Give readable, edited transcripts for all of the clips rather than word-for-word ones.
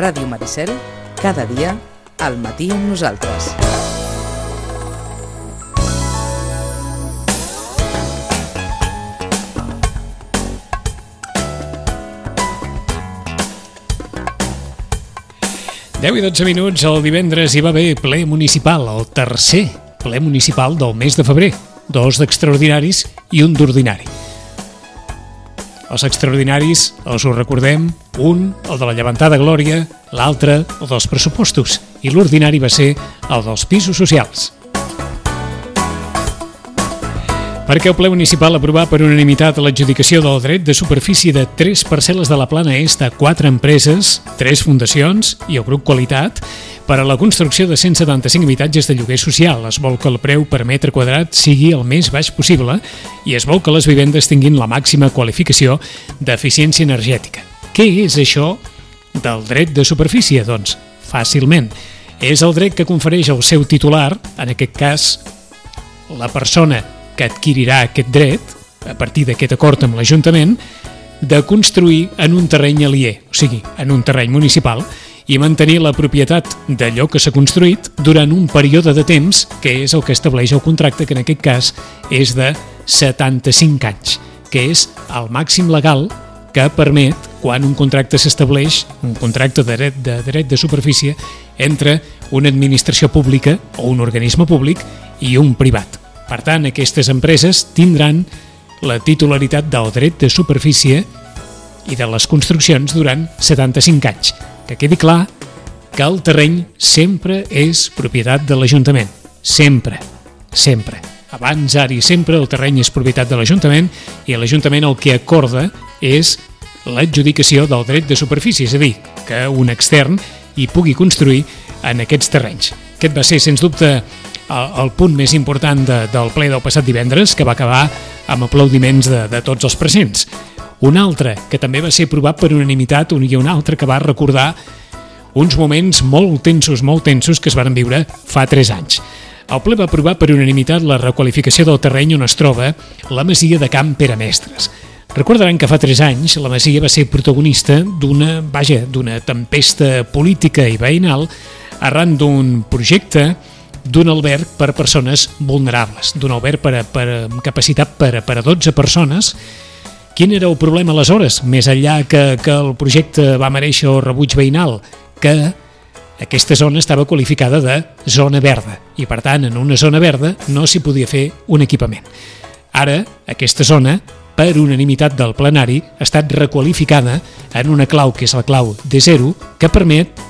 Ràdio Maricel, cada dia, al matí amb nosaltres. Deu i 12 minuts, el divendres hi va haver ple municipal, el tercer ple municipal del mes de febrer, 2 d'extraordinaris i un d'ordinari. Els extraordinaris, els ho recordem, un, el de la llevantada glòria, l'altre, el dels pressupostos, i l'ordinari va ser el dels pisos socials. Perquè el ple municipal aprovà per unanimitat l'adjudicació del dret de superfície de 3 parcel·les de la Plana Est a 4 empreses, 3 fundacions i el grup Qualitat per a la construcció de 175 habitatges de lloguer social. Es vol que el preu per metre quadrat sigui el més baix possible i es vol que les vivendes tinguin la màxima qualificació d'eficiència energètica. Què és això del dret de superfície? Doncs, fàcilment. És el dret que confereix el seu titular, en aquest cas, la persona que adquirirà aquest dret, a partir d'aquest acord amb l'Ajuntament, de construir en un terreny aliè, o sigui, en un terreny municipal, i mantenir la propietat d'allò que s'ha construït durant un període de temps, que és el que estableix el contracte, que en aquest cas és de 75 anys, que és el màxim legal que permet, quan un contracte s'estableix, un contracte de dret de superfície, entre una administració pública o un organisme públic i un privat. Per tant, aquestes empreses tindran la titularitat del dret de superfície i de les construccions durant 75 anys. Que quedi clar que el terreny sempre és propietat de l'Ajuntament. Sempre, sempre. Abans, ara i sempre, el terreny és propietat de l'Ajuntament i l'Ajuntament el que acorda és l'adjudicació del dret de superfície, és a dir, que un extern hi pugui construir en aquests terrenys. Aquest va ser, sens dubte, el punt més important del ple del passat divendres, que va acabar amb aplaudiments de tots els presents. Un altre, que també va ser aprovat per unanimitat, i un altre que va recordar uns moments molt tensos que es van viure fa 3 anys. El ple va aprovar per unanimitat la requalificació del terreny on es troba la masia de Can Pere Mestres. Recordaran que fa 3 anys la masia va ser protagonista d'una tempesta política i veïnal arran d'un projecte d'un alberg per persones vulnerables, d'un alberg amb capacitat per a 12 persones. Quin era el problema aleshores, més enllà que el projecte va merèixer el rebuig veïnal? Que aquesta zona estava qualificada de zona verda i, per tant, en una zona verda no s'hi podia fer un equipament. Ara, aquesta zona, per unanimitat del plenari, ha estat requalificada en una clau que és la clau D0, que permet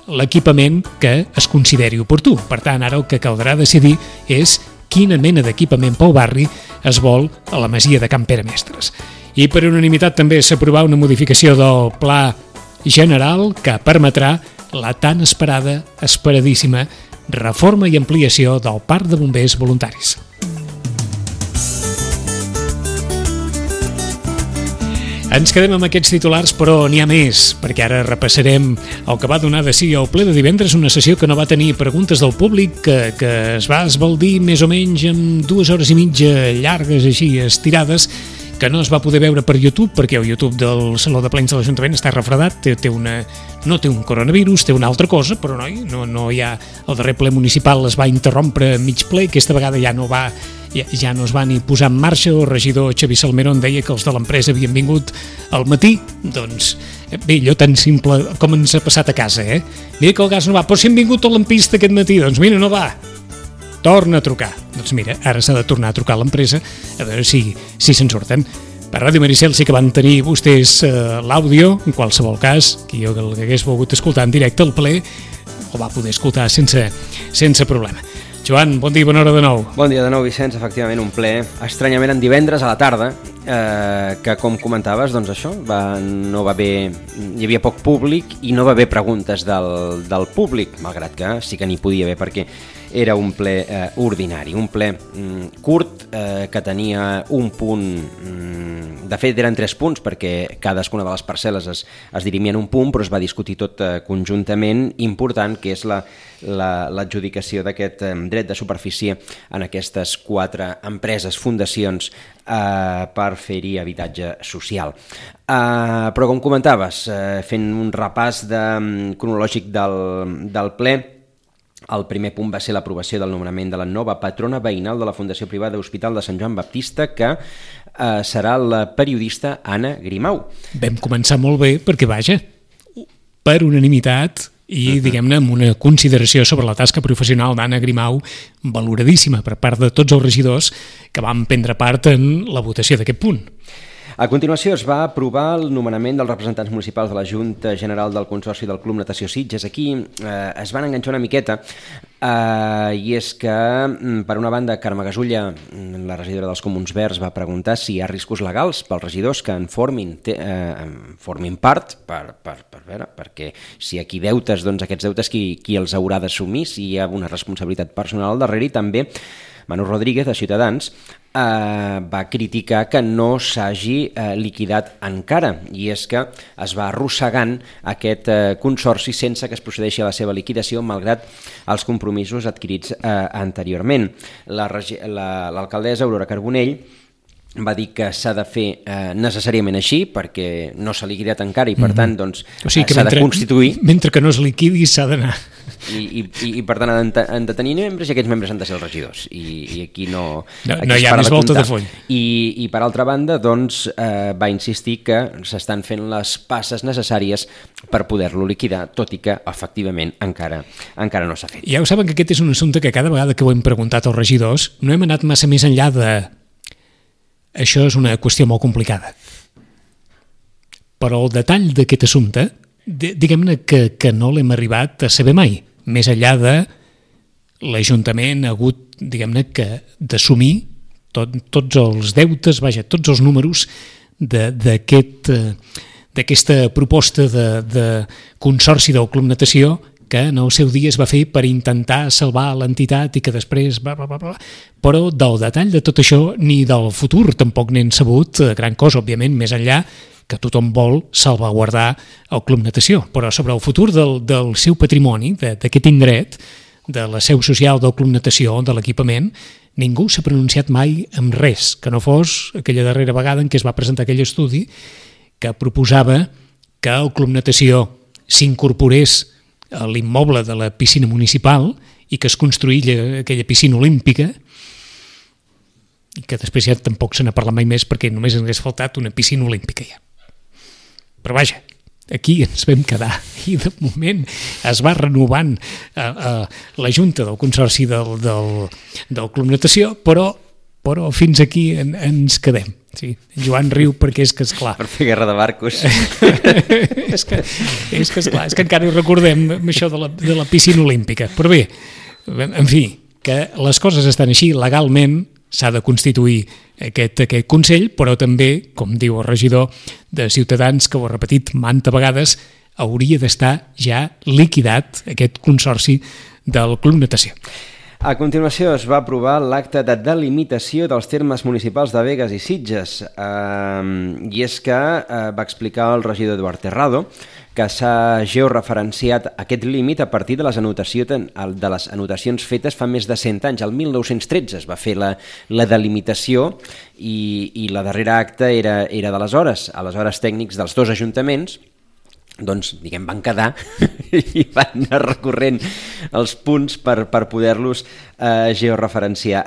l'equipament que es consideri oportú. Per tant, ara el que caldrà decidir és quina mena d'equipament pel barri es vol a la masia de Can Pere Mestres. I per unanimitat també s'aprovà una modificació del pla general que permetrà la tan esperadíssima reforma i ampliació del parc de bombers voluntaris. Ens quedem amb aquests titulars, però n'hi ha més, perquè ara repassarem el que va donar de si el ple de divendres, una sessió que no va tenir preguntes del públic, que es va esbaldir més o menys amb 2 hores i mitja llargues, així, estirades, que no es va poder veure per YouTube, perquè el YouTube del Saló de Plens de l'Ajuntament està refredat, no té un coronavirus, té una altra cosa, però no hi ha... El darrer ple municipal es va interrompre mig ple, aquesta vegada ja no es va ni posar en marxa. El regidor Xavi Salmerón deia que els de l'empresa havien vingut al matí. Doncs bé, allò tan simple com ens ha passat a casa, Mira que el gas no va, però si hem vingut a l'ampista aquest matí, doncs mira, no va. Torna a trucar. Doncs mira, ara s'ha de tornar a trucar a l'empresa a veure si se'n surten. Per Ràdio Maricel sí que van tenir vostès l'àudio, en qualsevol cas, qui el que hagués volgut escoltar en directe el ple ho va poder escoltar sense problema. Joan, bon dia i bona hora de nou. Bon dia de nou, Vicenç. Efectivament, un ple estranyament en divendres a la tarda, que com comentaves, doncs això, no va haver, hi havia poc públic i no va haver preguntes del públic, malgrat que sí que n'hi podia haver, perquè era un ple ordinari, un ple curt que tenia un punt, de fet eren 3 punts perquè cadascuna de les parcel·les es dirimia en un punt, però es va discutir tot conjuntament, important, que és l'adjudicació d'aquest dret de superfície en aquestes 4 empreses, fundacions, per fer-hi habitatge social. Però com comentaves, fent un repàs cronològic del ple, el primer punt va ser l'aprovació del nomenament de la nova patrona veïnal de la Fundació Privada Hospital de Sant Joan Baptista, que serà la periodista Anna Grimau. Vam començar molt bé perquè, vaja, per unanimitat i, diguem-ne, amb una consideració sobre la tasca professional d'Anna Grimau valoradíssima per part de tots els regidors que van prendre part en la votació d'aquest punt. A continuació es va aprovar el nomenament dels representants municipals de la Junta General del Consorci del Club Natació Sitges. Aquí es van enganxar una miqueta i és que, per una banda, Carme Gasulla, la regidora dels Comuns Verds, va preguntar si hi ha riscos legals pels regidors que en formin part per veure, perquè si aquí deutes, doncs aquests deutes qui els haurà d'assumir, si hi ha una responsabilitat personal al darrere. I també Manu Rodríguez, de Ciutadans, va criticar que no s'hagi liquidat encara, i és que es va arrossegant aquest consorci sense que es procedeixi a la seva liquidació, malgrat els compromisos adquirits anteriorment. L'alcaldessa Aurora Carbonell va dir que s'ha de fer necessàriament així perquè no s'ha liquidat encara i per tant doncs, s'ha de constituir. Mentre que no es liquidi s'ha d'anar. I per tant han de tenir membres i aquests membres han de ser els regidors i aquí no hi ha més volta de foll. I per altra banda doncs, va insistir que s'estan fent les passes necessàries per poder-lo liquidar, tot i que efectivament encara no s'ha fet. Ja ho saben que aquest és un assumpte que cada vegada que ho hem preguntat als regidors no hem anat massa més enllà de això és una qüestió molt complicada. Però el detall d'aquest assumpte, diguem-ne que no l'hem arribat a saber mai. Més enllà de l'Ajuntament ha hagut, diguem-ne, d'assumir tots els deutes, tots els números d'aquesta proposta de consorci del Club Natació que en el seu dia es va fer per intentar salvar l'entitat i que després però del detall de tot això ni del futur tampoc n'hem sabut gran cosa, òbviament, més enllà que tothom vol salvaguardar el Club Natació, però sobre el futur del seu patrimoni, d'aquest indret, de la seu social del Club Natació, de l'equipament, ningú s'ha pronunciat mai amb res, que no fos aquella darrera vegada en què es va presentar aquell estudi que proposava que el Club Natació s'incorporés a l'immoble de la piscina municipal i que es construïlla aquella piscina olímpica i que després ja tampoc se n'ha parlat mai més perquè només ens hagués faltat una piscina olímpica ja. Però vaja, aquí ens vam quedar i de moment es va renovant la Junta del Consorci del Club Natació, però fins aquí ens quedem. Sí, Joan riu perquè és que esclar. Per fer guerra de barcos. és que esclar, és que encara ho recordem això de la piscina olímpica. Però bé, en fi, que les coses estan així, legalment s'ha de constituir aquest Consell, però també, com diu el regidor de Ciutadans, que ho ha repetit manta vegades, hauria d'estar ja liquidat aquest consorci del Club Natació. A continuació es va aprovar l'acte de delimitació dels termes municipals de Begues i Sitges i és que va explicar el regidor Eduard Terrado que s'ha georreferenciat aquest límit a partir de les anotacions fetes fa més de 100 anys. El 1913 es va fer la delimitació i la darrera acta era d'aleshores. Aleshores tècnics dels dos ajuntaments doncs, diguem, van quedar i van anar recorrent els punts per poder-los georreferenciar.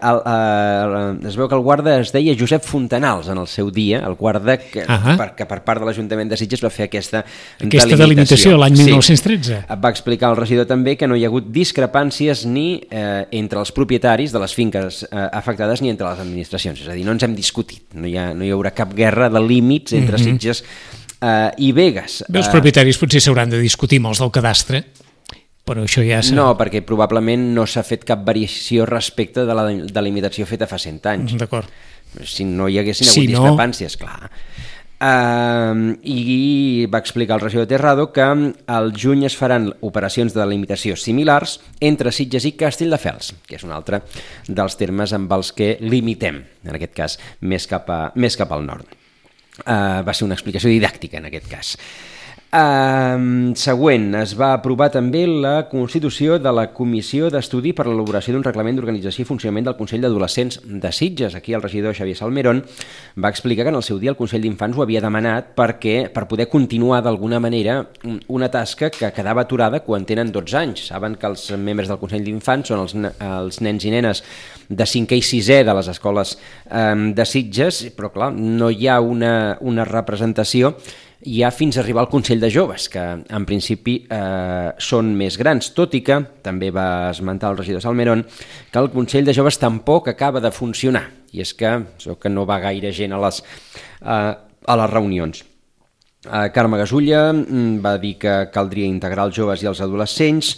Es veu que el guarda es deia Josep Fontanals en el seu dia, el guarda que per part de l'Ajuntament de Sitges va fer aquesta delimitació l'any 1913. Sí. Va explicar el regidor també que no hi ha hagut discrepàncies ni entre els propietaris de les finques afectades ni entre les administracions, és a dir, no ens hem discutit, no hi haurà cap guerra de límits entre Sitges i Begues. Bé, els propietaris potser s'hauran de discutir amb els del cadastre, però això ja... No, perquè probablement no s'ha fet cap variació respecte de la delimitació feta fa 100 anys. D'acord. Si no hi haguessin hagut discrepàncies, clar. I va explicar el regidor Terrado que al juny es faran operacions de delimitació similars entre Sitges i Castelldefels, que és un altre dels termes amb els que limitem, en aquest cas, més cap al nord. Va ser una explicació didàctica en aquest cas. Següent, es va aprovar també la constitució de la Comissió d'Estudi per a l'elaboració d'un reglament d'organització i funcionament del Consell d'Adolescents de Sitges. Aquí el regidor Xavier Salmerón va explicar que en el seu dia el Consell d'Infants ho havia demanat per poder continuar d'alguna manera una tasca que quedava aturada quan tenen 12 anys. Saben que els membres del Consell d'Infants són els nens i nenes de 5è i 6è de les escoles de Sitges, però clar, no hi ha una representació ja fins a arribar al Consell de Joves, que en principi són més grans, tot i que, també va esmentar el regidor Salmerón, que el Consell de Joves tampoc acaba de funcionar, i és que no va gaire gent a les reunions. Carme Gasulla va dir que caldria integrar els joves i els adolescents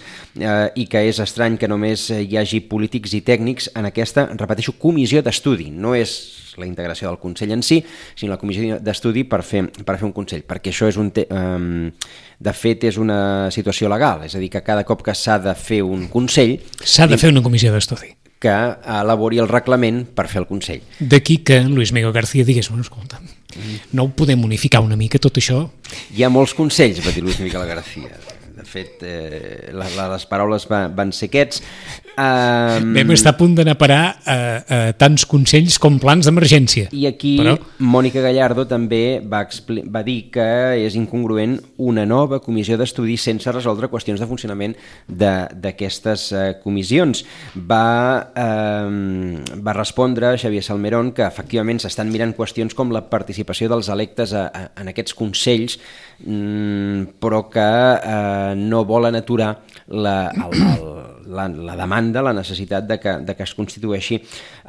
i que és estrany que només hi hagi polítics i tècnics en aquesta, repeteixo, comissió d'estudi. No és la integració del Consell en si, sinó la comissió d'estudi per fer un Consell, perquè això és de fet és una situació legal, és a dir, que cada cop que s'ha de fer un Consell... S'ha de fer una comissió d'estudi. Que elabori el reglament per fer el Consell. D'aquí que Luis Miguel García digués, escolta, no ho podem unificar una mica tot això? Hi ha molts consells, va dir Luis Miguel García. De fet, les paraules van ser aquests. Vam estar a punt d'anar a parar a tants consells com plans d'emergència. I aquí Mònica Gallardo també va dir que és incongruent una nova comissió d'estudi sense resoldre qüestions de funcionament d'aquestes comissions. Va respondre Xavier Salmerón que efectivament s'estan mirant qüestions com la participació dels electes en aquests consells, però que no volen aturar la demanda, la necessitat de que es constitueixi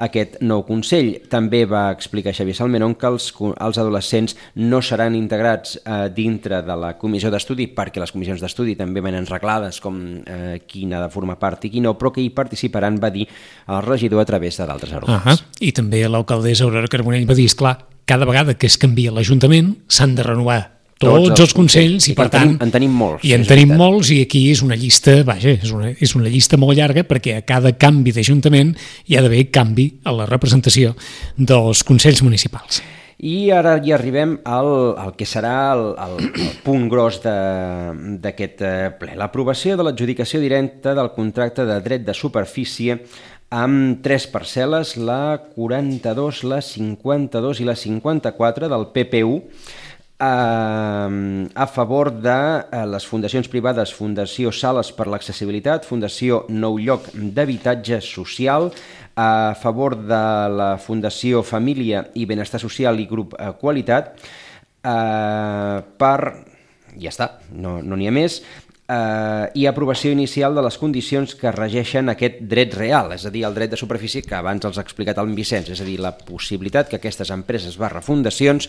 aquest nou Consell. També va explicar Xavier Salmerón que els adolescents no seran integrats dintre de la comissió d'estudi, perquè les comissions d'estudi també venen reglades com qui n'ha de formar part i qui no, però que hi participaran, va dir el regidor, a través de d'altres arguments. I també l'alcaldessa Aurora Carbonell va dir, esclar, cada vegada que es canvia l'Ajuntament s'han de renovar tots els consells i per tant en tenim molts. I en tenim molts, i aquí és una llista, és una llista molt llarga, perquè a cada canvi d'Ajuntament hi ha d'haver canvi a la representació dels consells municipals. I ara ja arribem al que serà el punt gros d'aquest ple, l'aprovació de l'adjudicació directa del contracte de dret de superfície amb 3 parcel·les, la 42, la 52 i la 54 del PPU, a favor de les fundacions privades Fundació Sales per l'Accessibilitat, Fundació Nou Lloc d'Habitatge Social, a favor de la Fundació Família i Benestar Social i Grup Qualitat, ja està, no n'hi ha més, i aprovació inicial de les condicions que regeixen aquest dret real, és a dir, el dret de superfície que abans els ha explicat el Vicenç, és a dir, la possibilitat que aquestes empreses /fundacions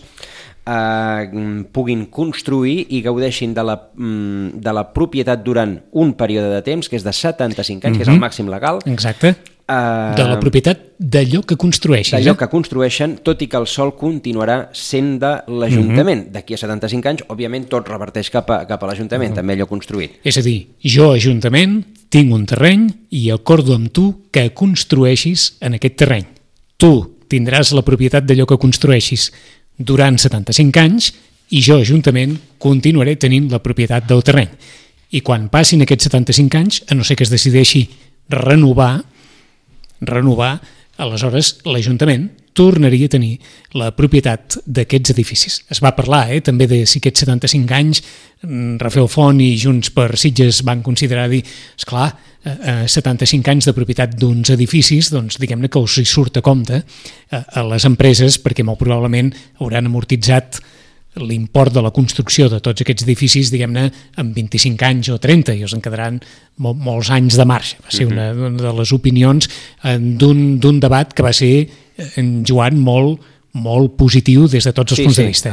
puguin construir i gaudeixin de la propietat durant un període de temps, que és de 75 anys, que és el màxim legal. Exacte. De la propietat d'allò que construeixen. D'allò que construeixen, tot i que el sòl continuarà sent de l'Ajuntament. D'aquí a 75 anys, òbviament, tot reverteix cap a l'Ajuntament, també allò construït. És a dir, jo, Ajuntament, tinc un terreny i acordo amb tu que construeixis en aquest terreny. Tu tindràs la propietat d'allò que construeixis durant 75 anys i jo, Ajuntament, continuaré tenint la propietat del terreny. I quan passin aquests 75 anys, a no ser que es decideixi renovar, aleshores l'Ajuntament tornaria a tenir la propietat d'aquests edificis. Es va parlar també de si aquests 75 anys Rafael Font i Junts per Sitges van considerar dir, esclar, 75 anys de propietat d'uns edificis, doncs diguem-ne que us hi surt a compte a les empreses, perquè molt probablement hauran amortitzat l'import de la construcció de tots aquests edificis, diguem-ne, en 25 anys o 30, i els en quedaran molts anys de marge. Va ser una de les opinions d'un debat que va ser, en Joan, molt molt positiu des de tots els punts de vista.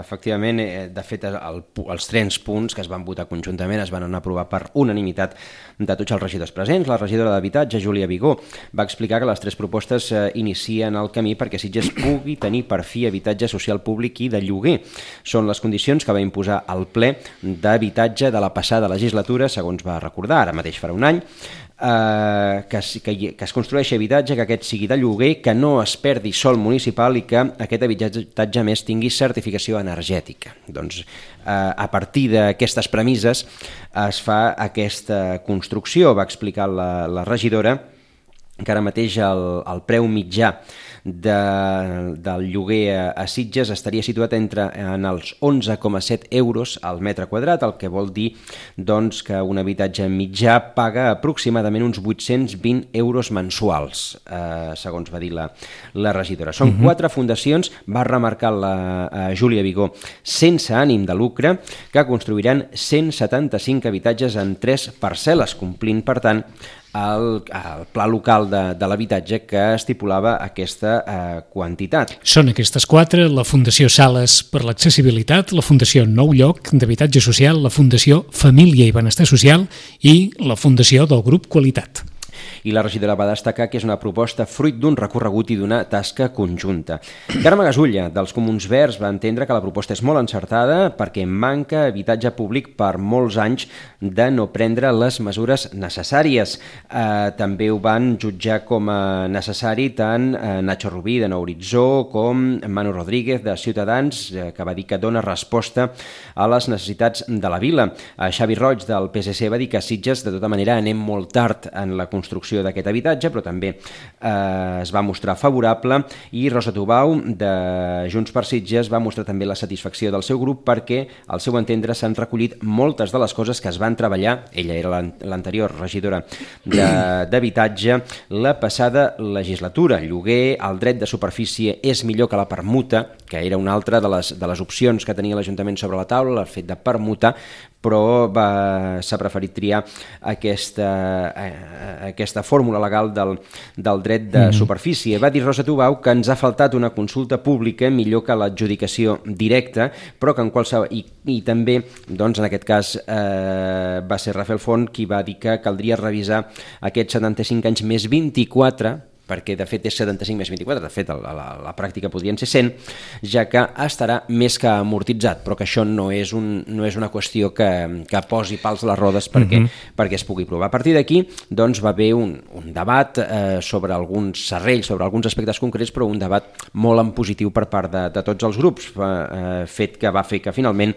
Efectivament, de fet, els 3 punts que es van votar conjuntament es van aprovar per unanimitat de tots els regidors presents. La regidora d'Habitatge, Júlia Vigó, va explicar que les 3 propostes inicien el camí perquè Sitges pugui tenir per fi habitatge social públic i de lloguer. Són les condicions que va imposar el ple d'habitatge de la passada legislatura, segons va recordar, ara mateix farà un any, que es construeixi habitatge, que aquest sigui de lloguer, que no es perdi sòl municipal i que aquest habitatge més tingui certificació energètica. Doncs a partir d'aquestes premisses es fa aquesta construcció, va explicar la regidora, que ara mateix el preu mitjà del lloguer a Sitges estaria situat en els 11,7 euros al metre quadrat, el que vol dir doncs, que un habitatge mitjà paga aproximadament uns 820 euros mensuals, segons va dir la regidora. Són 4 fundacions, va remarcar la Júlia Vigó, sense ànim de lucre, que construiran 175 habitatges en 3 parcel·les, complint, per tant, el pla local de l'habitatge que estipulava aquesta quantitat. Són aquestes 4, la Fundació Sales per l'Accessibilitat, la Fundació Nou Lloc d'Habitatge Social, la Fundació Família i Benestar Social i la Fundació del Grup Qualitat. I la regidora va destacar que és una proposta fruit d'un recorregut i d'una tasca conjunta. Carme Gasulla, dels Comuns Verds, va entendre que la proposta és molt encertada perquè manca habitatge públic per molts anys de no prendre les mesures necessàries. També ho van jutjar com a necessari tant Nacho Rubí, de Nou Horitzó, com Manu Rodríguez, de Ciutadans, que va dir que dona resposta a les necessitats de la vila. Xavi Roig, del PSC, va dir que a Sitges, de tota manera, anem molt tard en la construcció d'aquest habitatge, però també es va mostrar favorable, i Rosa Tubau, de Junts per Sitges, va mostrar també la satisfacció del seu grup perquè, al seu entendre, s'han recollit moltes de les coses que es van treballar, ella era l'anterior regidora d'habitatge, la passada legislatura. Lloguer, el dret de superfície és millor que la permuta, que era una altra de les opcions que tenia l'Ajuntament sobre la taula, el fet de permutar, però s'ha preferit triar aquesta fórmula legal del dret de superfície. Va dir Rosa Tubau que ens ha faltat una consulta pública millor que l'adjudicació directa, però que en qualsevol... I també, doncs, en aquest cas, va ser Rafael Font qui va dir que caldria revisar aquests 75 anys més 24, perquè de fet és 75 més 24, de fet a la pràctica podrien ser 100, ja que estarà més que amortitzat, però que això no és una qüestió que posi pals a les rodes perquè es pugui provar. A partir d'aquí doncs, va haver un debat sobre alguns serrells, sobre alguns aspectes concrets, però un debat molt en positiu per part de tots els grups, fet que va fer que finalment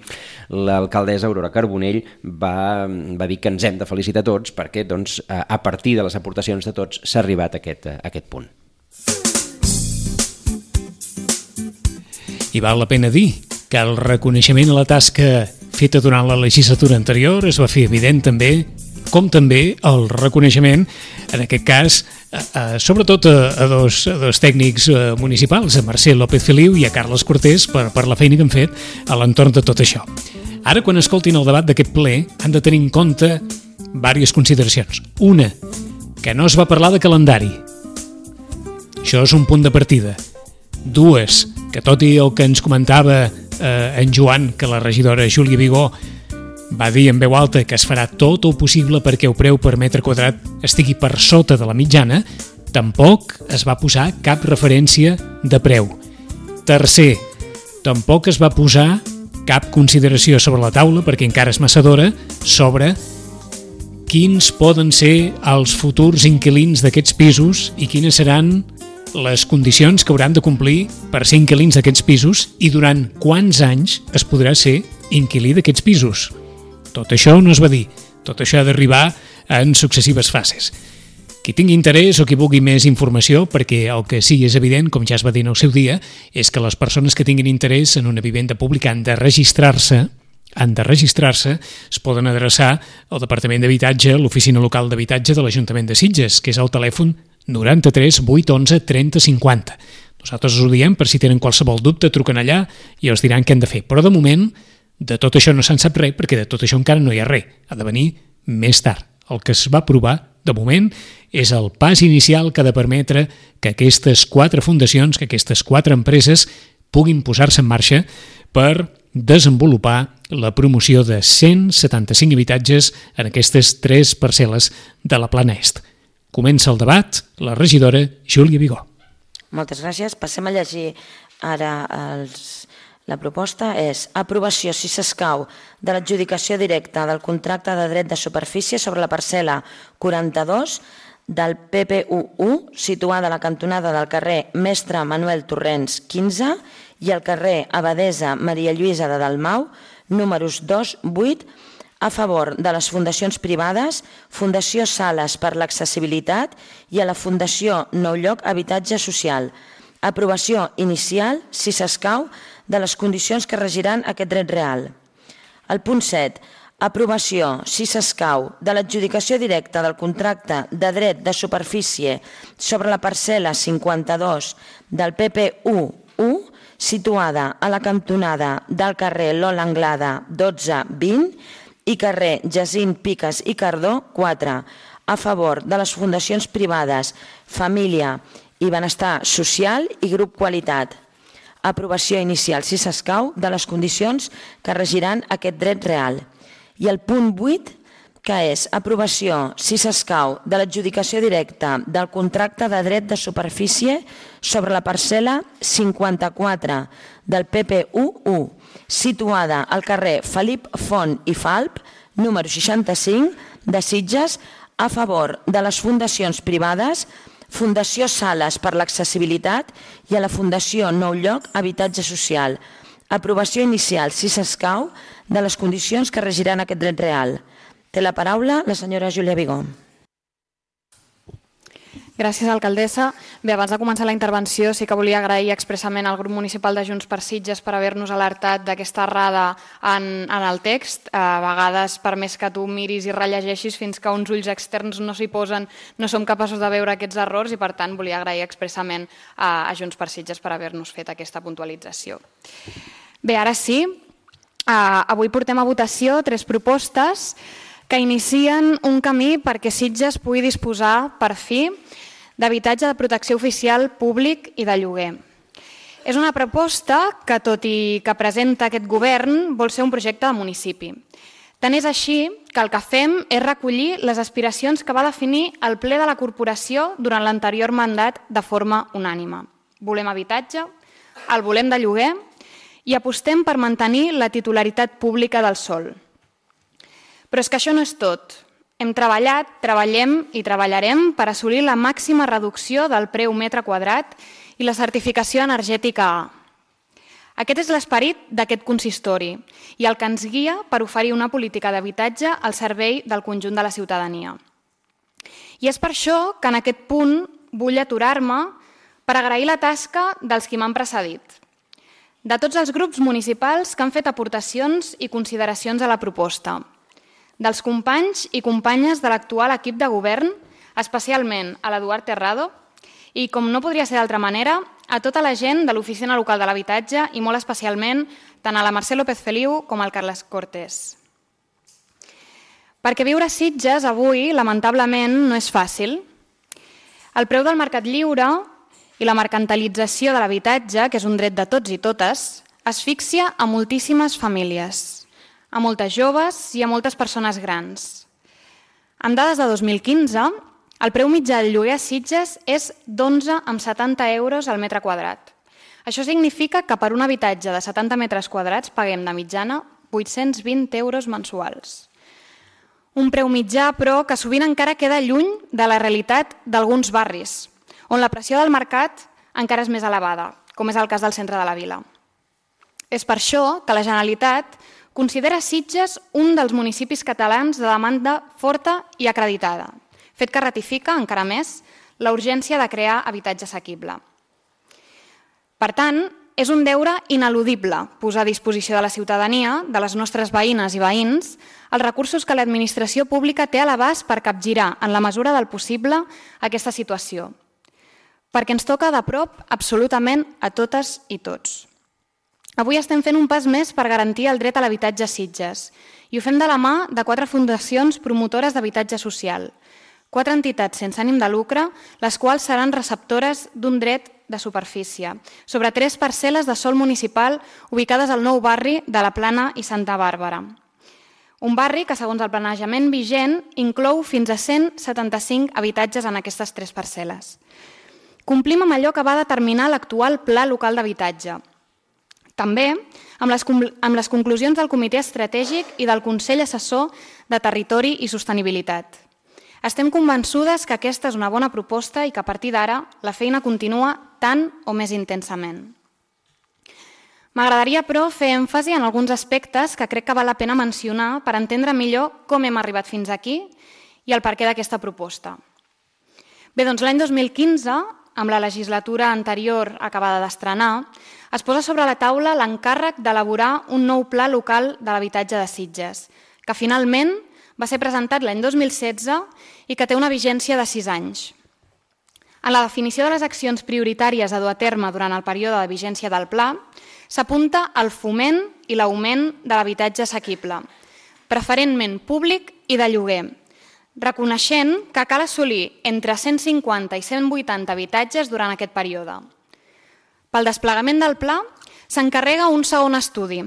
l'alcaldessa Aurora Carbonell va dir que ens hem de felicitar tots perquè doncs, a partir de les aportacions de tots s'ha arribat a aquest punt. I val la pena dir que el reconeixement a la tasca feta durant la legislatura anterior es va fer evident també, com també el reconeixement, en aquest cas, sobretot a dos tècnics municipals, a Mercè López Feliu i a Carles Cortés, per la feina que han fet a l'entorn de tot això. Ara, quan escoltin el debat d'aquest ple, han de tenir en compte diverses consideracions. Una, que no es va parlar de calendari. Això és un punt de partida. 2, que tot i el que ens comentava en Joan, que la regidora Júlia Vigó va dir en veu alta que es farà tot el possible perquè el preu per metre quadrat estigui per sota de la mitjana, tampoc es va posar cap referència de preu. 3, tampoc es va posar cap consideració sobre la taula, perquè encara és massa d'hora, sobre quins poden ser els futurs inquilins d'aquests pisos i quines seran les condicions que hauran de complir per ser inquilins d'aquests pisos i durant quants anys es podrà ser inquilí d'aquests pisos. Tot això no es va dir, tot això ha d'arribar en successives fases. Qui tingui interès o qui vulgui més informació, perquè el que sí és evident, com ja es va dir en el seu dia, és que les persones que tinguin interès en una vivenda pública han de registrar-se, es poden adreçar al Departament d'Habitatge, a l'Oficina Local d'Habitatge de l'Ajuntament de Sitges, que és el telèfon 93 811 30 50. Nosaltres us ho diem per si tenen qualsevol dubte, truquen allà i els diran què han de fer. Però de moment, de tot això no se'n sap res, perquè de tot això encara no hi ha res. Ha de venir més tard. El que es va aprovar, de moment, és el pas inicial que ha de permetre que aquestes 4 fundacions, que aquestes 4 empreses puguin posar-se en marxa per desenvolupar la promoció de 175 habitatges en aquestes 3 parcel·les de la Plana Est. Comença el debat la regidora Júlia Vigó. Moltes gràcies. Passem a llegir ara la proposta. És aprovació, si s'escau, de l'adjudicació directa del contracte de dret de superfície sobre la parcel·la 42 del PPU1, situada a la cantonada del carrer Mestre Manuel Torrents 15 i al carrer Abadesa Maria Lluïsa de Dalmau, números 2, 8, a favor de les fundacions privades, Fundació Sales per l'Accessibilitat i a la Fundació Nou Lloc Habitatge Social. Aprovació inicial, si s'escau, de les condicions que regiran aquest dret real. El punt 7. Aprovació, si s'escau, de l'adjudicació directa del contracte de dret de superfície sobre la parcel·la 52 del PPU1, situada a la cantonada del carrer Lola Anglada 12-20 i carrer Jacint Piques i Cardó 4, a favor de les fundacions privades Família i Benestar Social i Grup Qualitat. Aprovació inicial, si s'escau, de les condicions que regiran aquest dret real. I el punt 8, que és aprovació, si s'escau, de l'adjudicació directa del contracte de dret de superfície sobre la parcel·la 54 del PPU1, situada al carrer Felip Font i Falp, número 65, de Sitges, a favor de les fundacions privades Fundació Sales per l'Accessibilitat i a la Fundació Nou Lloc Habitatge Social. Aprovació inicial, si s'escau, de les condicions que regiran aquest dret real. Té la paraula la senyora Júlia Vigó. Gràcies, alcaldessa. Bé, abans de començar la intervenció sí que volia agrair expressament al grup municipal de Junts per Sitges per haver-nos alertat d'aquesta errada en el text. A vegades, per més que tu miris i rellegeixis, fins que uns ulls externs no s'hi posen, no som capaços de veure aquests errors i, per tant, volia agrair expressament a Junts per Sitges per haver-nos fet aquesta puntualització. Bé, ara sí, avui portem a votació 3 propostes que inicien un camí perquè Sitges pugui disposar, per fi, d'habitatge de protecció oficial públic i de lloguer. És una proposta que, tot i que presenta aquest govern, vol ser un projecte de municipi. Tant és així que el que fem és recollir les aspiracions que va definir el ple de la corporació durant l'anterior mandat de forma unànime. Volem habitatge, el volem de lloguer i apostem per mantenir la titularitat pública del sòl. Però és que això no és tot. Hem treballat, treballem i treballarem per assolir la màxima reducció del preu metre quadrat i la certificació energètica A. Aquest és l'esperit d'aquest consistori i el que ens guia per oferir una política d'habitatge al servei del conjunt de la ciutadania. I és per això que en aquest punt vull aturar-me per agrair la tasca dels qui m'han precedit, de tots els grups municipals que han fet aportacions i consideracions a la proposta, dels companys i companyes de l'actual equip de govern, especialment a l'Eduard Terrado, i, com no podria ser d'altra manera, a tota la gent de l'Oficina Local de l'Habitatge i molt especialment tant a la Mercè López Feliu com al Carles Cortés. Perquè viure a Sitges avui, lamentablement, no és fàcil. El preu del mercat lliure i la mercantilització de l'habitatge, que és un dret de tots i totes, asfixia a moltíssimes famílies, a moltes joves i a moltes persones grans. Amb dades de 2015, el preu mitjà del lloguer a Sitges és d'11,70 euros al metre quadrat. Això significa que per un habitatge de 70 metres quadrats paguem de mitjana 820 euros mensuals. Un preu mitjà, però, que sovint encara queda lluny de la realitat d'alguns barris, on la pressió del mercat encara és més elevada, com és el cas del centre de la vila. És per això que la Generalitat considera Sitges un dels municipis catalans de demanda forta i acreditada, fet que ratifica encara més la urgència de crear habitatge assequible. Per tant, és un deure ineludible posar a disposició de la ciutadania, de les nostres veïnes i veïns, els recursos que l'administració pública té a l'abast per capgirar, en la mesura del possible, aquesta situació. Perquè ens toca de prop absolutament a totes i tots. Avui estem fent un pas més per garantir el dret a l'habitatge a Sitges i ho fem de la mà de 4 fundacions promotores d'habitatge social, 4 entitats sense ànim de lucre, les quals seran receptores d'un dret de superfície sobre 3 parcel·les de sòl municipal ubicades al nou barri de la Plana i Santa Bàrbara. Un barri que, segons el planejament vigent, inclou fins a 175 habitatges en aquestes 3 parcel·les. Complim amb allò que va determinar l'actual Pla Local d'Habitatge. També amb les conclusions del Comitè Estratègic i del Consell Assessor de Territori i Sostenibilitat. Estem convençudes que aquesta és una bona proposta i que a partir d'ara la feina continua tant o més intensament. M'agradaria, però, fer èmfasi en alguns aspectes que crec que val la pena mencionar per entendre millor com hem arribat fins aquí i el perquè d'aquesta proposta. Bé, doncs l'any 2015, amb la legislatura anterior acabada d'estrenar, es posa sobre la taula l'encàrrec d'elaborar un nou pla local de l'habitatge de Sitges, que finalment va ser presentat l'any 2016 i que té una vigència de 6 anys. En la definició de les accions prioritàries a dur a terme durant el període de vigència del pla, s'apunta al foment i l'augment de l'habitatge assequible, preferentment públic i de lloguer, reconeixent que cal assolir entre 150 i 180 habitatges durant aquest període. Pel desplegament del pla s'encarrega un segon estudi,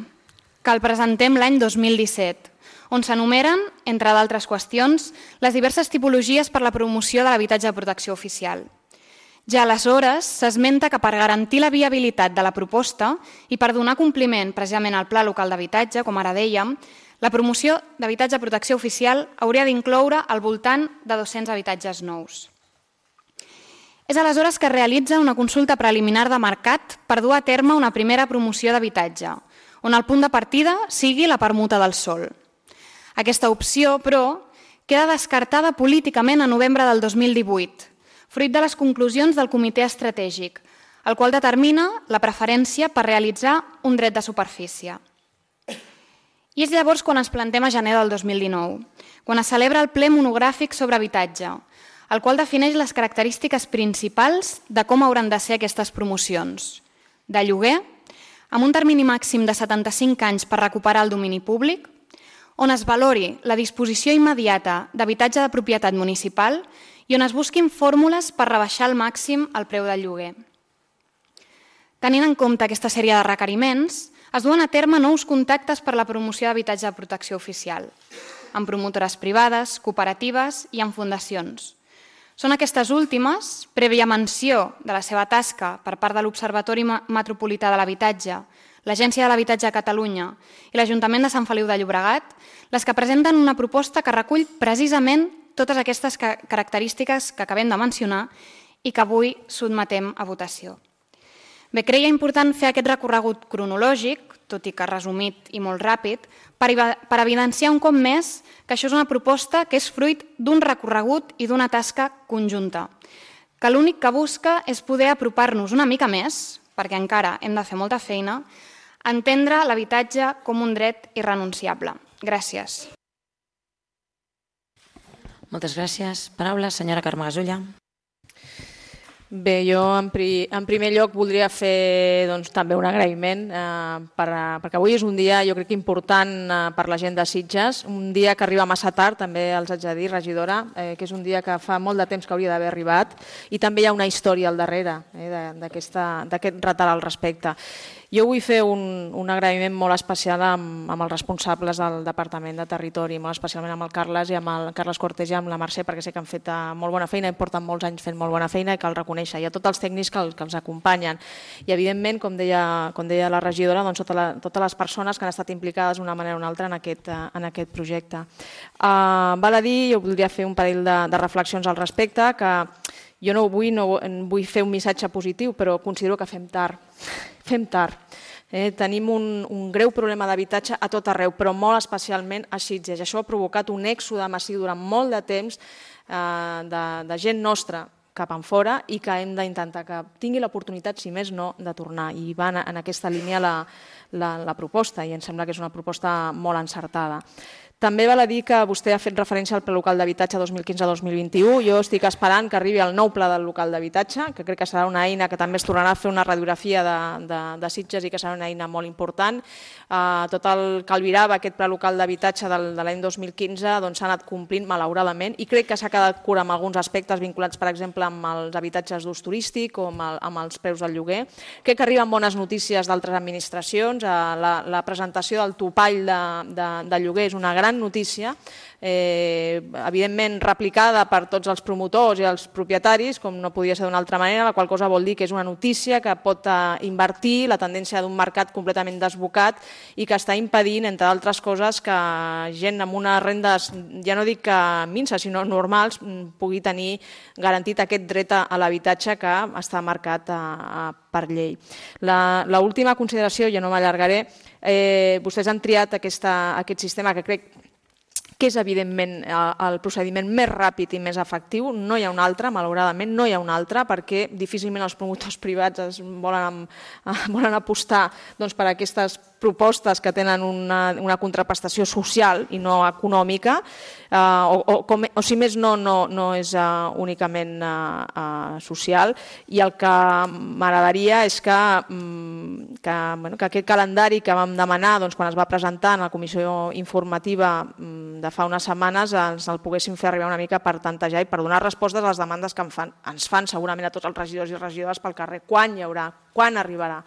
que el presentem l'any 2017, on s'enumeren, entre d'altres qüestions, les diverses tipologies per la promoció de l'habitatge de protecció oficial. Ja aleshores s'esmenta que per garantir la viabilitat de la proposta i per donar compliment precisament al Pla Local d'Habitatge, com ara dèiem, la promoció d'habitatge de protecció oficial hauria d'incloure al voltant de 200 habitatges nous. És aleshores que es realitza una consulta preliminar de mercat per dur a terme una primera promoció d'habitatge, on el punt de partida sigui la permuta del sòl. Aquesta opció, però, queda descartada políticament a novembre del 2018, fruit de les conclusions del Comitè Estratègic, el qual determina la preferència per realitzar un dret de superfície. I és llavors quan ens plantem a gener del 2019, quan es celebra el ple monogràfic sobre habitatge, el qual defineix les característiques principals de com hauran de ser aquestes promocions. De lloguer, amb un termini màxim de 75 anys per recuperar el domini públic, on es valori la disposició immediata d'habitatge de propietat municipal i on es busquin fórmules per rebaixar al màxim el preu del lloguer. Tenint en compte aquesta sèrie de requeriments, es duen a terme nous contactes per la promoció d'habitatge de protecció oficial, amb promotores privades, cooperatives i amb fundacions. Són aquestes últimes, prèvia menció de la seva tasca per part de l'Observatori Metropolità de l'Habitatge, l'Agència de l'Habitatge de Catalunya i l'Ajuntament de Sant Feliu de Llobregat, les que presenten una proposta que recull precisament totes aquestes característiques que acabem de mencionar i que avui sotmetem a votació. Bé, creia important fer aquest recorregut cronològic, tot i que resumit i molt ràpid, per evidenciar un cop més que això és una proposta que és fruit d'un recorregut i d'una tasca conjunta, que l'únic que busca és poder apropar-nos una mica més, perquè encara hem de fer molta feina, a entendre l'habitatge com un dret irrenunciable. Gràcies. Moltes gràcies. Paraula, senyora Carme Gasulla. Bé, jo en primer lloc voldria fer també un agraïment perquè avui és un dia jo crec que important per la gent de Sitges, un dia que arriba massa tard, també els haig de dir, regidora, que és un dia que fa molt de temps que hauria d'haver arribat i també hi ha una història al darrere d'aquest retard al respecte. Jo vull fer un agraïment molt especial amb els responsables del Departament de Territori, molt especialment amb el Carles i amb el Carles Cortés i amb la Mercè, perquè sé que han fet molt bona feina i porten molts anys fent molt bona feina i cal reconèixer. I a tots els tècnics que els acompanyen. I evidentment, com deia la regidora, totes les persones que han estat implicades d'una manera o una altra en aquest projecte. Val a dir, jo voldria fer un parell de reflexions al respecte, que jo no vull fer un missatge positiu, però considero que fem tard. Fem tard. Tenim un greu problema d'habitatge a tot arreu, però molt especialment a Sitges. Això ha provocat un èxode massiu durant molt de temps de gent nostra cap enfora i que hem d'intentar que tingui l'oportunitat, si més no, de tornar. I va en aquesta línia la proposta i em sembla que és una proposta molt encertada. També val a dir que vostè ha fet referència al pla local d'habitatge 2015-2021. Jo estic esperant que arribi el nou pla del local d'habitatge, que crec que serà una eina que també es tornarà a fer una radiografia de Sitges i que serà una eina molt important. Tot el que albirava aquest pla local d'habitatge de l'any 2015 s'ha anat complint, malauradament, i crec que s'ha quedat curt amb alguns aspectes vinculats, per exemple, amb els habitatges d'ús turístic o amb els preus del lloguer. Crec que arriben bones notícies d'altres administracions. La presentació del topall de lloguer és una gran notícia, evidentment replicada per tots els promotors i els propietaris, com no podia ser d'una altra manera, la qual cosa vol dir que és una notícia que pot invertir la tendència d'un mercat completament desbocat i que està impedint, entre altres coses, que gent amb unes rendes, ja no dic que minses, sinó normals, pugui tenir garantit aquest dret a l'habitatge que està marcat per llei. L'última consideració, ja no m'allargaré, vostès han triat aquest sistema que crec que és evidentment el procediment més ràpid i més efectiu. No hi ha un altre, malauradament, no hi ha un altre, perquè difícilment els promotors privats volen apostar per aquestes propostes que tenen una contraprestació social i no econòmica, o si més no és únicament social, i el que m'agradaria és que aquest calendari que vam demanar quan es va presentar en la comissió informativa de fa unes setmanes ens el poguéssim fer arribar una mica per tantejar i per donar respostes a les demandes que ens fan segurament a tots els regidors i regidores pel carrer. Quan hi haurà? Quan arribarà?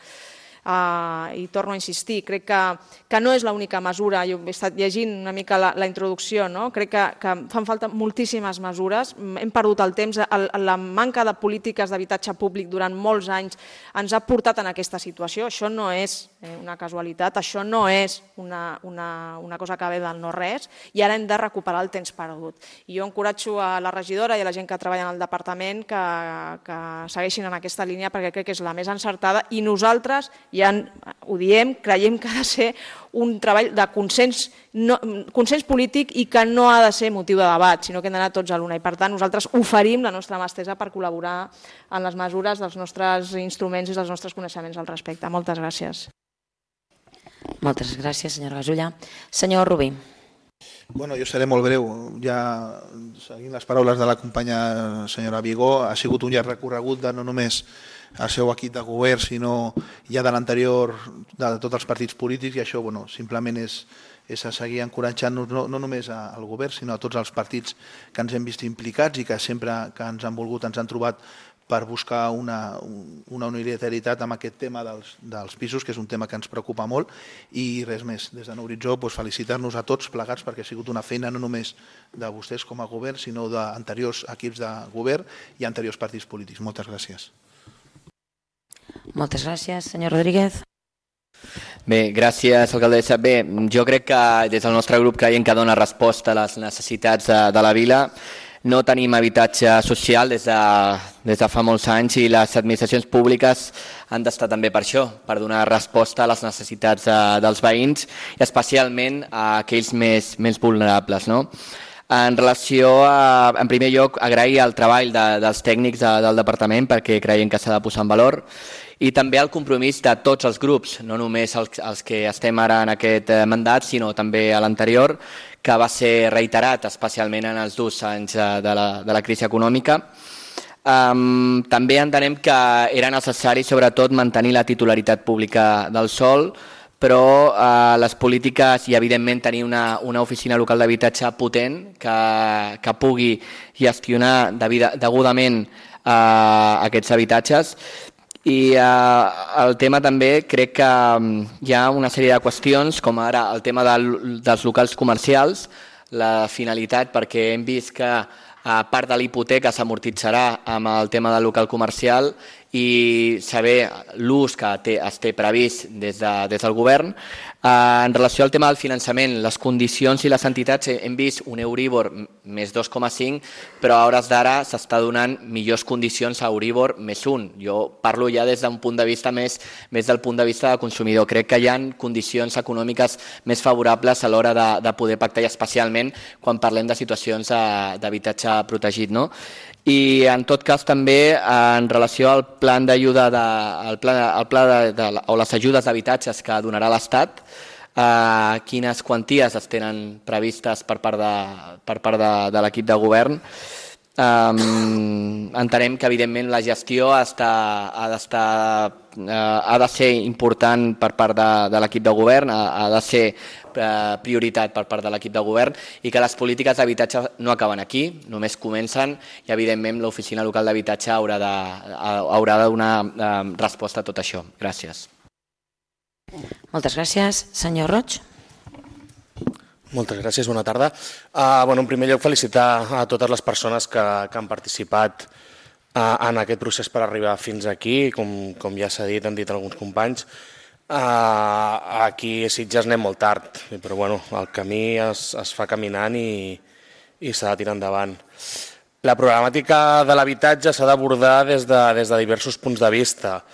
I torno a insistir, crec que no és l'única mesura. Jo he estat llegint una mica la introducció, crec que fan falta moltíssimes mesures, hem perdut el temps, la manca de polítiques d'habitatge públic durant molts anys ens ha portat en aquesta situació. Això no és una casualitat, això no és una cosa que ve del no res, i ara hem de recuperar el temps perdut. I jo encoratjo a la regidora i a la gent que treballa en el departament que segueixin en aquesta línia, perquè crec que és la més encertada, i nosaltres ja ho diem, creiem que ha de ser un treball de consens polític i que no ha de ser motiu de debat, sinó que hem d'anar tots a l'una. I per tant nosaltres oferim la nostra mà estesa per col·laborar en les mesures dels nostres instruments i dels nostres coneixements al respecte. Moltes gràcies. Moltes gràcies, senyora Gasulla. Senyor Rubí. Bueno, jo seré molt breu. Ja seguint les paraules de la companya senyora Vigó, ha sigut un llarg recorregut de no només el seu equip de govern, sinó ja de l'anterior de tots els partits polítics, i això simplement és a seguir encoratjant-nos no només al govern, sinó a tots els partits que ens hem vist implicats i que sempre que ens han volgut ens han trobat per buscar una unilateralitat amb aquest tema dels pisos, que és un tema que ens preocupa molt, i res més. Des de Nou Horitzó, felicitar-nos a tots plegats perquè ha sigut una feina no només de vostès com a govern, sinó d'anteriors equips de govern i anteriors partits polítics. Moltes gràcies. Moltes gràcies. Senyor Rodríguez. Bé, gràcies, alcaldessa. Bé, jo crec que des del nostre grup creiem que dona resposta a les necessitats de la vila. No tenim habitatge social des de fa molts anys i les administracions públiques han d'estar també per això, per donar resposta a les necessitats dels veïns i especialment a aquells més vulnerables. En relació a, en primer lloc, agrair el treball dels tècnics del departament perquè creiem que s'ha de posar en valor, i també el compromís de tots els grups, no només els que estem ara en aquest mandat, sinó també a l'anterior, que va ser reiterat especialment en els 2 anys de la crisi econòmica. També entenem que era necessari sobretot mantenir la titularitat pública del sòl, però les polítiques i evidentment tenir una oficina local d'habitatge potent que pugui gestionar degudament aquests habitatges. I el tema també crec que hi ha una sèrie de qüestions, com ara el tema dels locals comercials, la finalitat, perquè hem vist que part de la hipoteca s'amortitzarà amb el tema del local comercial i saber l'ús que es té previst des del govern. En relació al tema del finançament, les condicions i les entitats hem vist un Euribor més 2,5, però a hores d'ara s'està donant millors condicions a Euribor més 1. Jo parlo ja des d'un punt de vista més del punt de vista del consumidor. Crec que hi ha condicions econòmiques més favorables a l'hora de poder pactar, i especialment quan parlem de situacions d'habitatge protegit. I en tot cas també en relació al pla d'ajuda o les ajudes d'habitatges que donarà l'Estat, quines quanties es tenen previstes per part de l'equip de govern. Entenem que evidentment la gestió ha de ser important per part de l'equip de govern, ha de ser prioritat per part de l'equip de govern i que les polítiques d'habitatge no acaben aquí, només comencen i evidentment l'oficina local d'habitatge haurà de donar resposta a tot això. Gràcies. Moltes gràcies. Senyor Roig. Moltes gràcies, bona tarda. En primer lloc, felicitar a totes les persones que han participat en aquest procés per arribar fins aquí. Com ja s'ha dit, han dit alguns companys, aquí a Sitges anem molt tard, però el camí es fa caminant i s'ha de tirar endavant. La problemàtica de l'habitatge s'ha d'abordar des de diversos punts de vista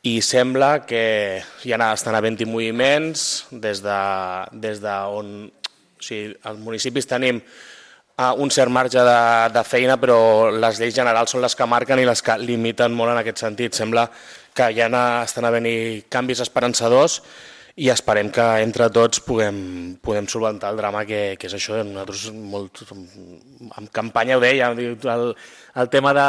i sembla que ja estan havent-hi moviments des d'on als municipis tenim un cert marge de feina, però les lleis generals són les que marquen i les que limiten molt en aquest sentit. Sembla que ja estan havent-hi canvis esperançadors i esperem que entre tots puguem solventar el drama que és això. Nosaltres en campanya ho deia, el tema de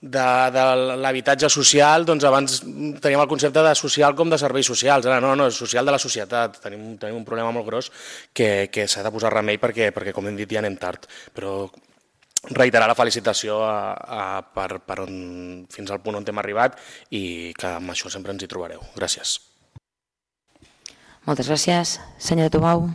l'habitatge social, doncs abans teníem el concepte de social com de serveis socials, ara no, és social de la societat, tenim un problema molt gros que s'ha de posar remei perquè com hem dit ja anem tard, però reiterar la felicitació fins al punt on hem arribat i que amb això sempre ens hi trobareu. Gràcies. Moltes gràcies. Senyora Tubau.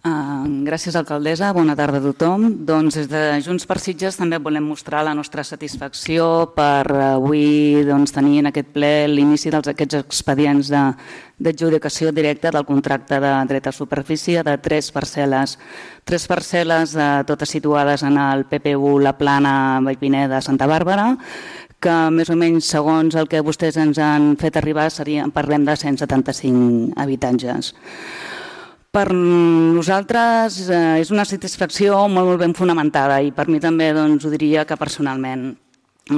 Gràcies, alcaldessa. Bona tarda a tothom. Doncs des de Junts per Sitges també volem mostrar la nostra satisfacció per avui tenir en aquest ple l'inici d'aquests expedients d'adjudicació directa del contracte de dret a superfície de 3 parcel·les. 3 parcel·les totes situades en el PPU La Plana, Vallpineda, Santa Bàrbara, que més o menys, segons el que vostès ens han fet arribar, parlem de 175 habitatges. Per nosaltres és una satisfacció molt ben fonamentada i per mi també ho diria que personalment.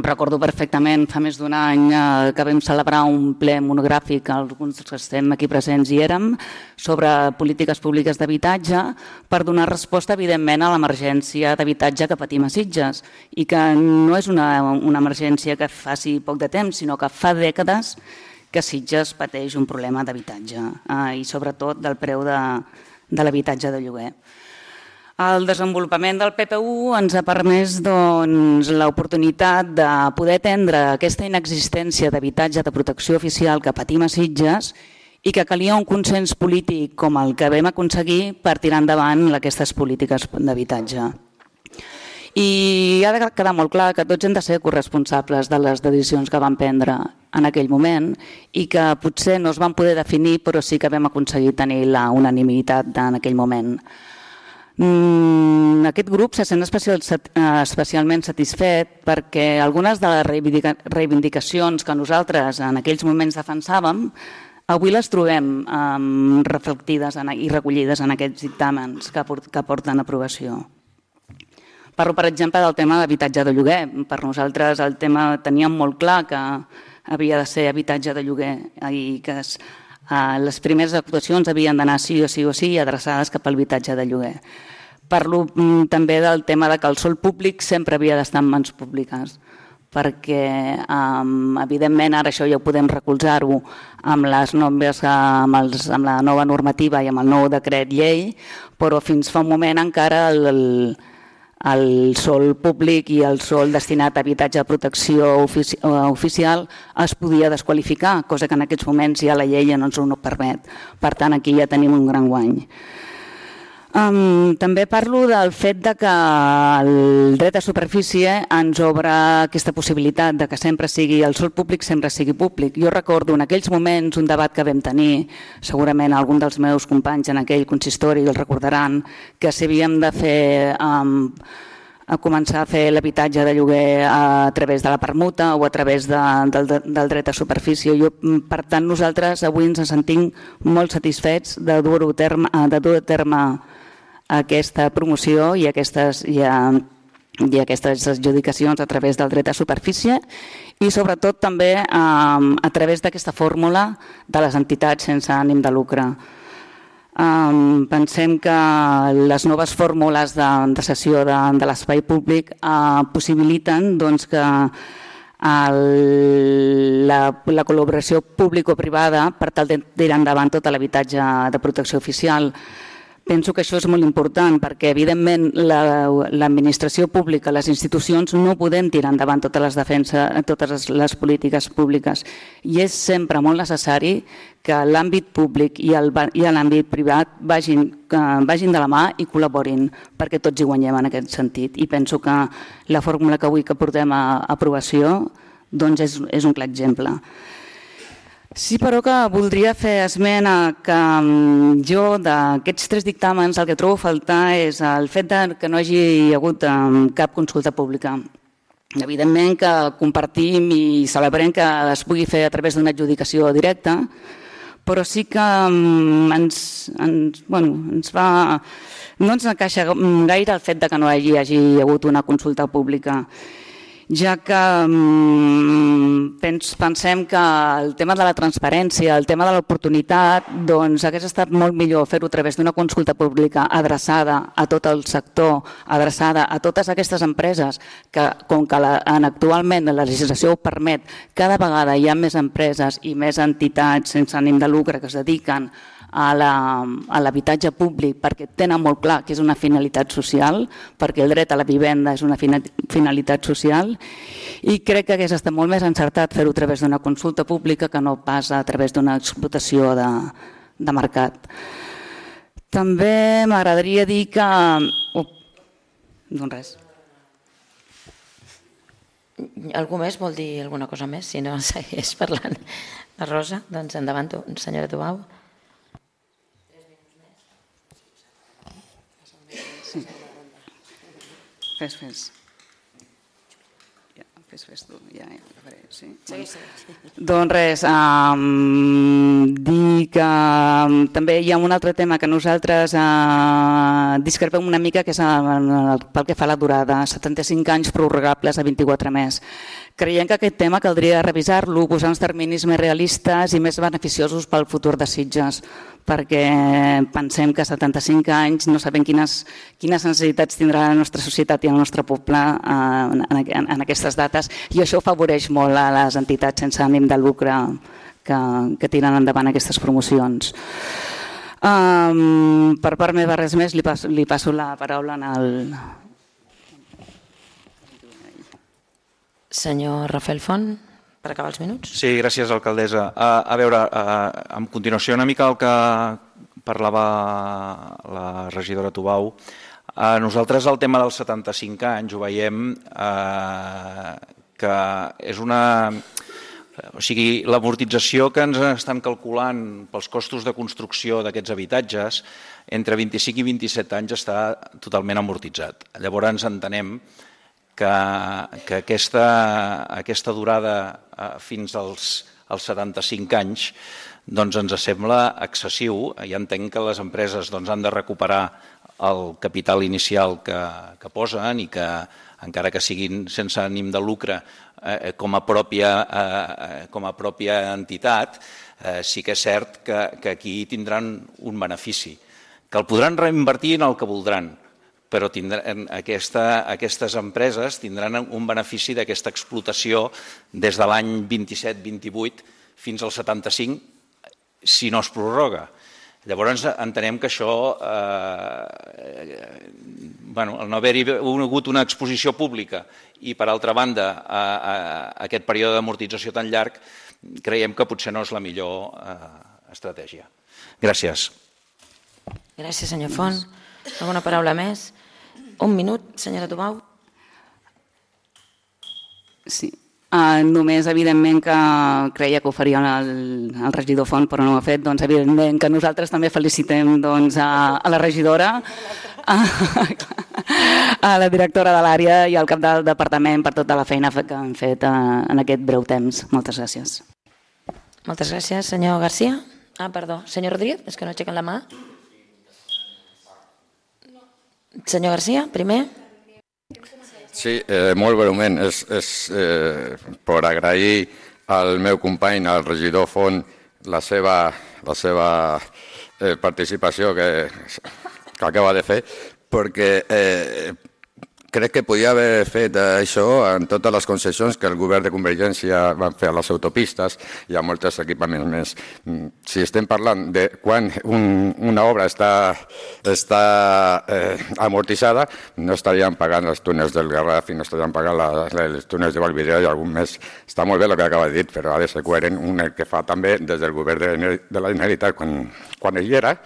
Recordo perfectament, fa més d'un any que vam celebrar un ple monogràfic, alguns que estem aquí presents hi érem, sobre polítiques públiques d'habitatge per donar resposta, evidentment, a l'emergència d'habitatge que patim a Sitges i que no és una emergència que faci poc de temps, sinó que fa dècades que Sitges pateix un problema d'habitatge i sobretot del preu de l'habitatge de lloguer. El desenvolupament del PPU ens ha permès l'oportunitat de poder atendre aquesta inexistència d'habitatge de protecció oficial que patim a Sitges i que calia un consens polític com el que vam aconseguir per tirar endavant aquestes polítiques d'habitatge. I ha de quedar molt clar que tots hem de ser corresponsables de les decisions que vam prendre en aquell moment i que potser no es van poder definir, però sí que vam aconseguir tenir la unanimitat en aquell moment. Aquest grup se sent especialment satisfet perquè algunes de les reivindicacions que nosaltres en aquells moments defensàvem avui les trobem reflectides i recollides en aquests dictàmens que porten a aprovació. Parlo, per exemple, del tema d'habitatge de lloguer. Per nosaltres el tema teníem molt clar que havia de ser habitatge de lloguer i que les primeres actuacions havien d'anar sí o sí adreçades cap a l'habitatge de lloguer. Parlo també del tema que el sòl públic sempre havia d'estar en mans públiques perquè, evidentment, ara això ja ho podem recolzar-ho amb la nova normativa i amb el nou decret llei, però fins fa un moment encara el sòl públic i el sòl destinat a habitatge de protecció oficial es podia desqualificar, cosa que en aquests moments ja la llei no ens ho permet. Per tant, aquí ja tenim un gran guany. També parlo del fet que el dret a superfície ens obre aquesta possibilitat de que sempre sigui el sòl públic, sempre sigui públic. Jo recordo en aquells moments un debat que vam tenir, segurament algun dels meus companys en aquell consistori el recordaran, que si havíem de fer a començar a fer l'habitatge de lloguer a través de la permuta o a través del dret a superfície. Per tant, nosaltres avui ens sentim molt satisfets de dur a terme aquesta promoció i i aquestes adjudicacions a través del dret de superfície i sobretot també a través d'aquesta fórmula de les entitats sense ànim de lucre. Pensem que les noves fórmules de cessió de l'espai públic possibiliten que la col·laboració público-privada per tal de tirar endavant tot l'habitatge de protecció oficial. Penso que això és molt important perquè, evidentment, l'administració pública, les institucions, no podem tirar endavant totes les polítiques públiques i és sempre molt necessari que l'àmbit públic i l'àmbit privat vagin de la mà i col·laborin perquè tots hi guanyem en aquest sentit. I penso que la fórmula que avui portem a aprovació és un clar exemple. Sí, però que voldria fer esment que jo d'aquests 3 dictàmens el que trobo a faltar és el fet que no hi hagi hagut cap consulta pública. Evidentment que compartim i celebrem que es pugui fer a través d'una adjudicació directa, però sí que no ens encaixa gaire el fet que no hi hagi hagut una consulta pública, ja que pensem que el tema de la transparència, el tema de l'oportunitat, hagués estat molt millor fer-ho a través d'una consulta pública adreçada a tot el sector, adreçada a totes aquestes empreses, que com que actualment la legislació ho permet, cada vegada hi ha més empreses i més entitats sense ànim de lucre que es dediquen a l'habitatge públic perquè tenen molt clar que és una finalitat social, perquè el dret a la vivenda és una finalitat social i crec que hagués estat molt més encertat fer-ho a través d'una consulta pública que no pas a través d'una explotació de mercat. També m'agradaria dir que... Doncs res. Algú més vol dir alguna cosa més? Si no, segueix parlant. La Rosa, doncs endavant, senyora Tubau. Fes. Fes tu, ja faré, sí. Doncs res, dir que també hi ha un altre tema que nosaltres discrepem una mica, que és pel que fa a la durada, 75 anys prorrogables a 24 més. Creiem que aquest tema caldria revisar-lo, posar uns terminis més realistes i més beneficiosos pel futur de Sitges, perquè pensem que 75 anys no sabem quines necessitats tindrà la nostra societat i el nostre poble en aquestes dates, i això afavoreix molt a les entitats sense ànim de lucre que tiren endavant aquestes promocions. Per part meva res més, li passo la paraula al... Senyor Rafael Font, per acabar els minuts. Sí, gràcies, alcaldessa. A veure, en continuació una mica el que parlava la regidora Tubau, nosaltres el tema dels 75 anys ho veiem que és una... O sigui, l'amortització que ens estan calculant pels costos de construcció d'aquests habitatges, entre 25 i 27 anys està totalment amortitzat. Llavors entenem que aquesta durada fins als 75 anys ens sembla excessiu. Ja entenc que les empreses han de recuperar el capital inicial que posen i que, encara que siguin sense ànim de lucre, com a pròpia entitat, sí que és cert que aquí tindran un benefici, que el podran reinvertir en el que voldran, però aquestes empreses tindran un benefici d'aquesta explotació des de l'any 27-28 fins al 75, si no es prorroga. Llavors entenem que això, el no haver-hi hagut una exposició pública i, per altra banda, aquest període d'amortització tan llarg, creiem que potser no és la millor estratègia. Gràcies. Gràcies, senyor Font. Alguna paraula més? Un minut, senyora Tubau. Sí. Només, evidentment, que creia que ho faria el regidor Font, però no ho ha fet. Doncs, evidentment, que nosaltres també felicitem a la regidora, a la directora de l'àrea i al cap del departament per tota la feina que han fet en aquest breu temps. Moltes gràcies. Moltes gràcies. Senyor Garcia? Perdó. Senyor Rodríguez? És que no aixequen la mà. Senyor Garcia, primer. Sí, molt breument. És per agrair al meu company, al regidor Font, la seva participació que acaba de fer, perquè crec que podia haver fet això en totes les concessions que el govern de Convergència van fer a les autopistes i a molts equipaments més. Si estem parlant de quan una obra està amortitzada, no estaríem pagant els túnels del Garraf i no estaríem pagant els túnels de Vallvidrera i algun més. Està molt bé el que acaba de dir, però ha de ser coherent el que fa també des del govern de la Generalitat quan ell era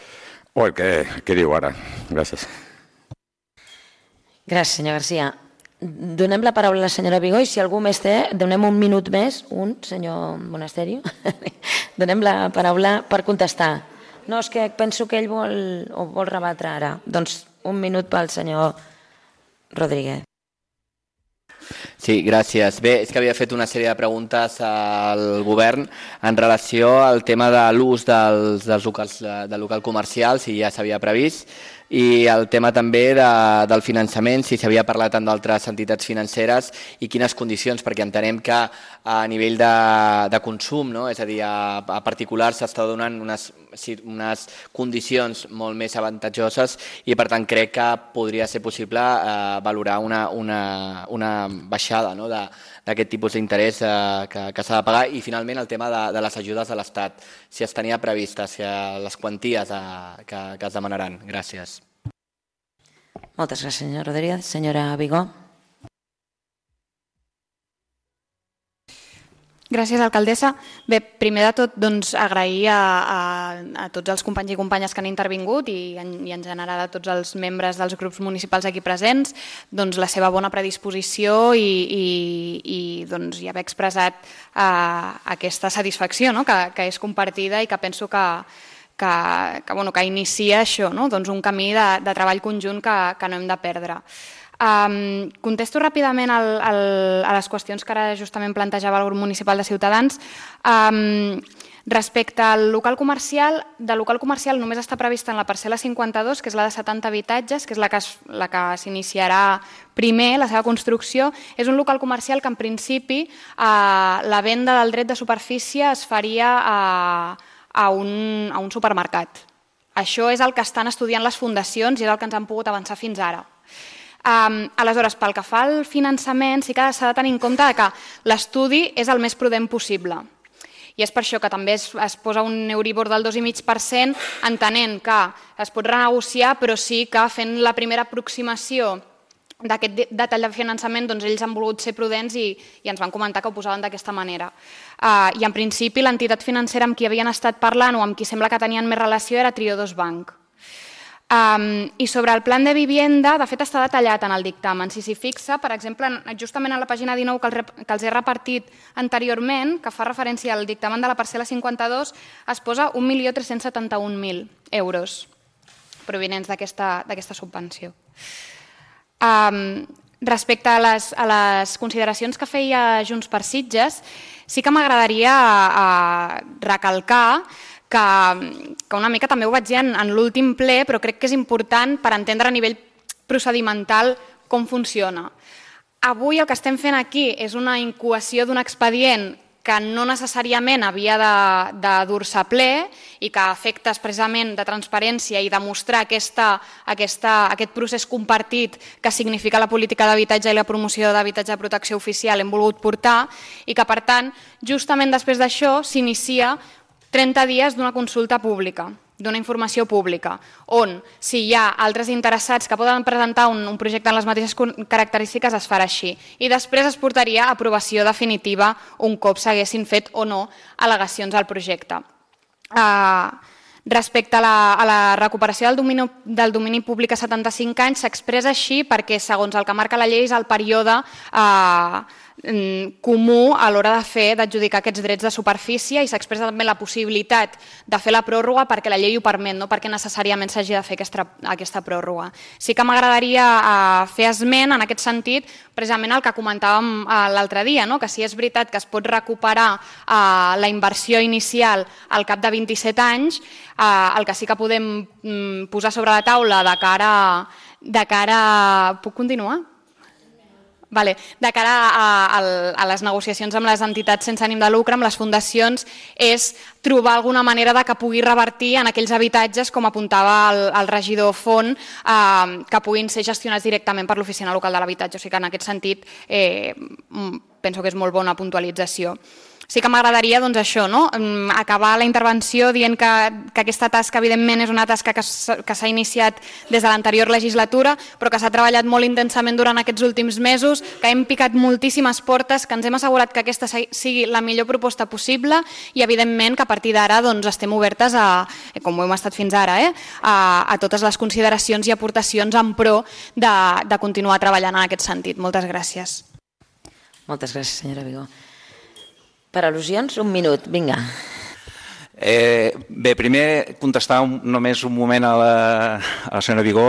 o el que diu ara. Gràcies. Gràcies, senyor Garcia. Donem la paraula a la senyora Vigó i si algú més té, donem un minut més, senyor Monasterio, donem la paraula per contestar. No, és que penso que ell vol rebatre ara. Doncs un minut pel senyor Rodríguez. Sí, gràcies. Bé, és que havia fet una sèrie de preguntes al govern en relació al tema de l'ús del local comercial, si ja s'havia previst, i el tema també del finançament, si s'havia parlat amb d'altres entitats financeres i quines condicions, perquè entenem que a nivell de consum, és a dir, a particulars s'està donant unes condicions molt més avantatjoses i per tant crec que podria ser possible valorar una baixada d'aquest tipus d'interès que s'ha de pagar i finalment el tema de les ajudes de l'Estat, si es tenia previstes, les quanties que es demanaran. Gràcies. Moltes gràcies, senyor Rodríguez. Senyora Vigó. Gràcies, alcaldessa. Bé, primer de tot, agrair a tots els companys i companyes que han intervingut i en general a tots els membres dels grups municipals aquí presents la seva bona predisposició i haver expressat aquesta satisfacció que és compartida i que penso que inicia això, un camí de treball conjunt que no hem de perdre. Contesto ràpidament a les qüestions que ara justament plantejava el grup municipal de Ciutadans. Respecte al local comercial, només està prevista en la parcel·la 52, que és la de 70 habitatges, que és la que s'iniciarà primer, la seva construcció. És un local comercial que en principi la venda del dret de superfície es faria a un supermercat. Això és el que estan estudiant les fundacions i és el que ens han pogut avançar fins ara. Aleshores, pel que fa al finançament, sí que s'ha de tenir en compte que l'estudi és el més prudent possible. I és per això que també es posa un Euribor del 2,5%, entenent que es pot renegociar, però sí que fent la primera aproximació d'aquest detall de finançament, ells han volgut ser prudents i ens van comentar que ho posaven d'aquesta manera. I en principi l'entitat financera amb qui havien estat parlant o amb qui sembla que tenien més relació era Triodos Bank. I sobre el plan de vivienda, de fet està detallat en el dictamen. Si s'hi fixa, per exemple, justament a la pàgina 19 que els he repartit anteriorment, que fa referència al dictamen de la parcel·la 52, es posa 1.371.000 euros provinents d'aquesta subvenció. Respecte a les consideracions que feia Junts per Sitges, sí que m'agradaria recalcar que una mica també ho vaig dir en l'últim ple, però crec que és important per entendre a nivell procedimental com funciona. Avui el que estem fent aquí és una incoació d'un expedient que no necessàriament havia de dur-se a ple i que a efectes precisament de transparència i demostrar aquest procés compartit que significa la política d'habitatge i la promoció d'habitatge de protecció oficial hem volgut portar i que, per tant, justament després d'això s'inicia 30 dies d'una consulta pública, d'una informació pública, on si hi ha altres interessats que poden presentar un projecte amb les mateixes característiques es farà així. I després es portaria a aprovació definitiva un cop s'haguessin fet o no al·legacions al projecte. Respecte a la recuperació del domini públic a 75 anys s'expressa així perquè, segons el que marca la llei, és el període comú a l'hora d'adjudicar aquests drets de superfície i s'expressa també la possibilitat de fer la pròrroga perquè la llei ho permet, no perquè necessàriament s'hagi de fer aquesta pròrroga. Sí que m'agradaria fer esment en aquest sentit precisament el que comentàvem l'altre dia, que si és veritat que es pot recuperar la inversió inicial al cap de 27 anys, el que sí que podem posar sobre la taula de cara... Puc continuar? Vale. De cara a les negociacions amb les entitats sense ànim de lucre, amb les fundacions, és trobar alguna manera de que pugui revertir en aquells habitatges, com apuntava el regidor Font, que puguin ser gestionats directament per l'Oficina Local de l'Habitatge. O sigui que en aquest sentit penso que és molt bona puntualització. Sí que m'agradaria això, acabar la intervenció dient que aquesta tasca, evidentment, és una tasca que s'ha iniciat des de l'anterior legislatura, però que s'ha treballat molt intensament durant aquests últims mesos, que hem picat moltíssimes portes, que ens hem assegurat que aquesta sigui la millor proposta possible i, evidentment, que a partir d'ara estem obertes, com ho hem estat fins ara, a totes les consideracions i aportacions en pro de continuar treballant en aquest sentit. Moltes gràcies. Moltes gràcies, senyora Vigó. Per al·lusions, un minut, vinga. Bé, primer contestar només un moment a la senyora Vigó.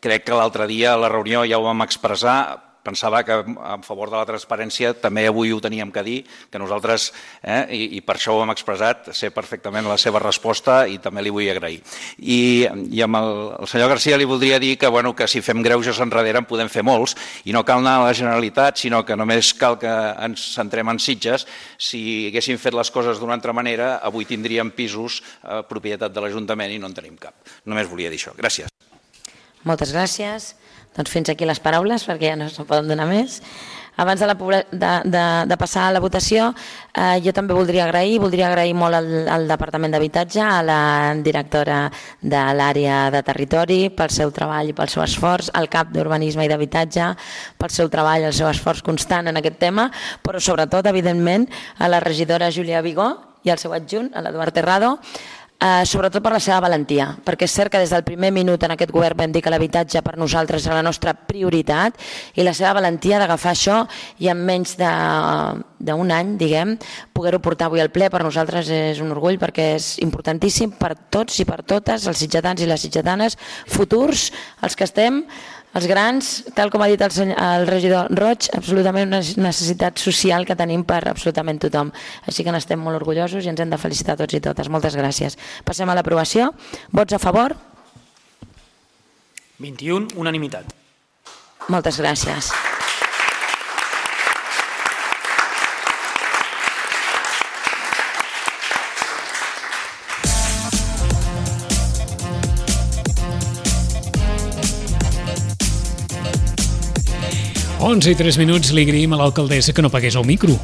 Crec que l'altre dia a la reunió ja ho vam expressar. Pensava que en favor de la transparència també avui ho teníem que dir, que nosaltres, i per això ho hem expressat, sé perfectament la seva resposta i també li vull agrair. I amb el senyor Garcia li voldria dir que si fem greuges enrere en podem fer molts i no cal anar a la Generalitat, sinó que només cal que ens centrem en Sitges. Si haguéssim fet les coses d'una altra manera, avui tindríem pisos propietat de l'Ajuntament i no en tenim cap. Només volia dir això. Gràcies. Moltes gràcies. Doncs fins aquí les paraules, perquè ja no se'n poden donar més. Abans de passar a la votació, jo també voldria agrair molt al Departament d'Habitatge, a la directora de l'àrea de territori, pel seu treball i pel seu esforç, al cap d'Urbanisme i d'Habitatge, pel seu treball i el seu esforç constant en aquest tema, però sobretot, evidentment, a la regidora Júlia Vigó i al seu adjunt, a l'Eduard Terrado, sobretot per la seva valentia, perquè és cert que des del primer minut en aquest govern vam dir que l'habitatge per nosaltres era la nostra prioritat i la seva valentia d'agafar això i en menys d'un any, diguem, poder-ho portar avui al ple per nosaltres és un orgull perquè és importantíssim per tots i per totes els sitgetans i les sitgetanes futurs, els que estem, els grans, tal com ha dit el regidor Roig, absolutament una necessitat social que tenim per absolutament tothom. Així que n'estem molt orgullosos i ens hem de felicitar tots i totes. Moltes gràcies. Passem a l'aprovació. Vots a favor? 21, unanimitat. Moltes gràcies. Onze i 3 minuts li agraïm a l'alcaldessa que no pagués el micro,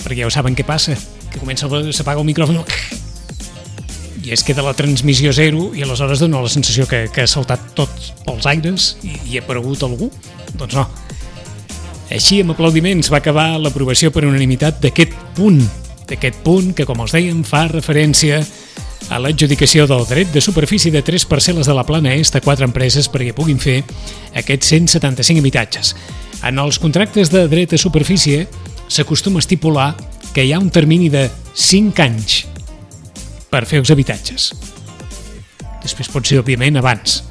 perquè ja ho saben què passa, que s'apaga el micròfon i es queda la transmissió zero i aleshores dona la sensació que ha saltat tots pels aires i ha aparegut algú. Doncs no. Així, amb aplaudiments, va acabar l'aprovació per unanimitat d'aquest punt que, com els dèiem, fa referència a l'adjudicació del dret de superfície de 3 parcel·les de la Plana Est a 4 empreses perquè puguin fer aquests 175 habitatges. En els contractes de dret de superfície s'acostuma a estipular que hi ha un termini de 5 anys per fer els habitatges. Després pot ser, òbviament, abans,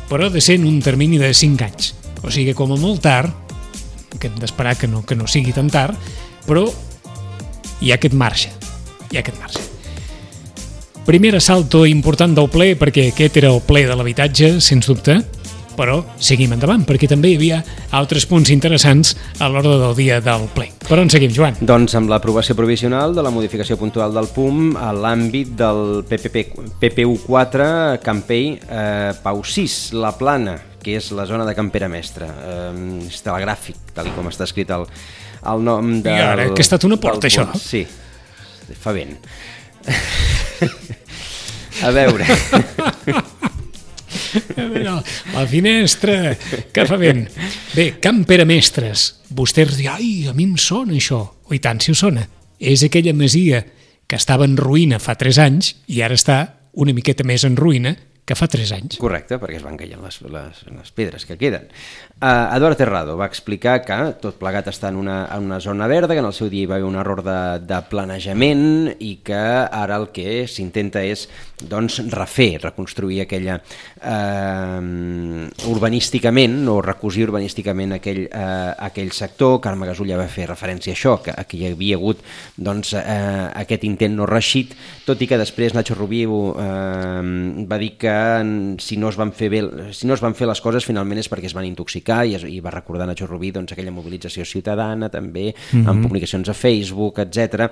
però ha de ser en un termini de 5 anys. O sigui, com a molt tard, que hem d'esperar que no sigui tan tard, però hi ha aquest marge. Primer assalto important del ple, perquè aquest era el ple de l'habitatge, sens dubte, però seguim endavant, perquè també hi havia altres punts interessants a l'ordre del dia del ple. Per on seguim, Joan? Doncs amb l'aprovació provisional de la modificació puntual del PUM a l'àmbit del PPU4 Campell Pau 6, la Plana, que és la zona de Campera Mestra. És telegràfic, tal com està escrit el nom del... I ara, que ha estat una porta, això? Sí, fa vent. A veure... La finestra, que fa vent. Bé, Camp Pere Mestres. Vostès diuen, ai, a mi em sona això. O i tant si us sona. És aquella masia que estava en ruïna fa 3 anys i ara està una miqueta més en ruïna que fa 3 anys. Correcte, perquè es van caient les pedres que queden. Eduard Terrado va explicar que tot plegat està en una zona verda, que en el seu dia hi va haver un error de planejament i que ara el que s'intenta és reconstruir aquella urbanísticament o recosir urbanísticament aquell sector. Carme Gasulla va fer referència a això, que hi havia hagut aquest intent no reeixit, tot i que després Nacho Rubio va dir que si no es van fer les coses finalment és perquè es van intoxicar i va recordar Nacho Rubí aquella mobilització ciutadana també, amb publicacions a Facebook, etc.,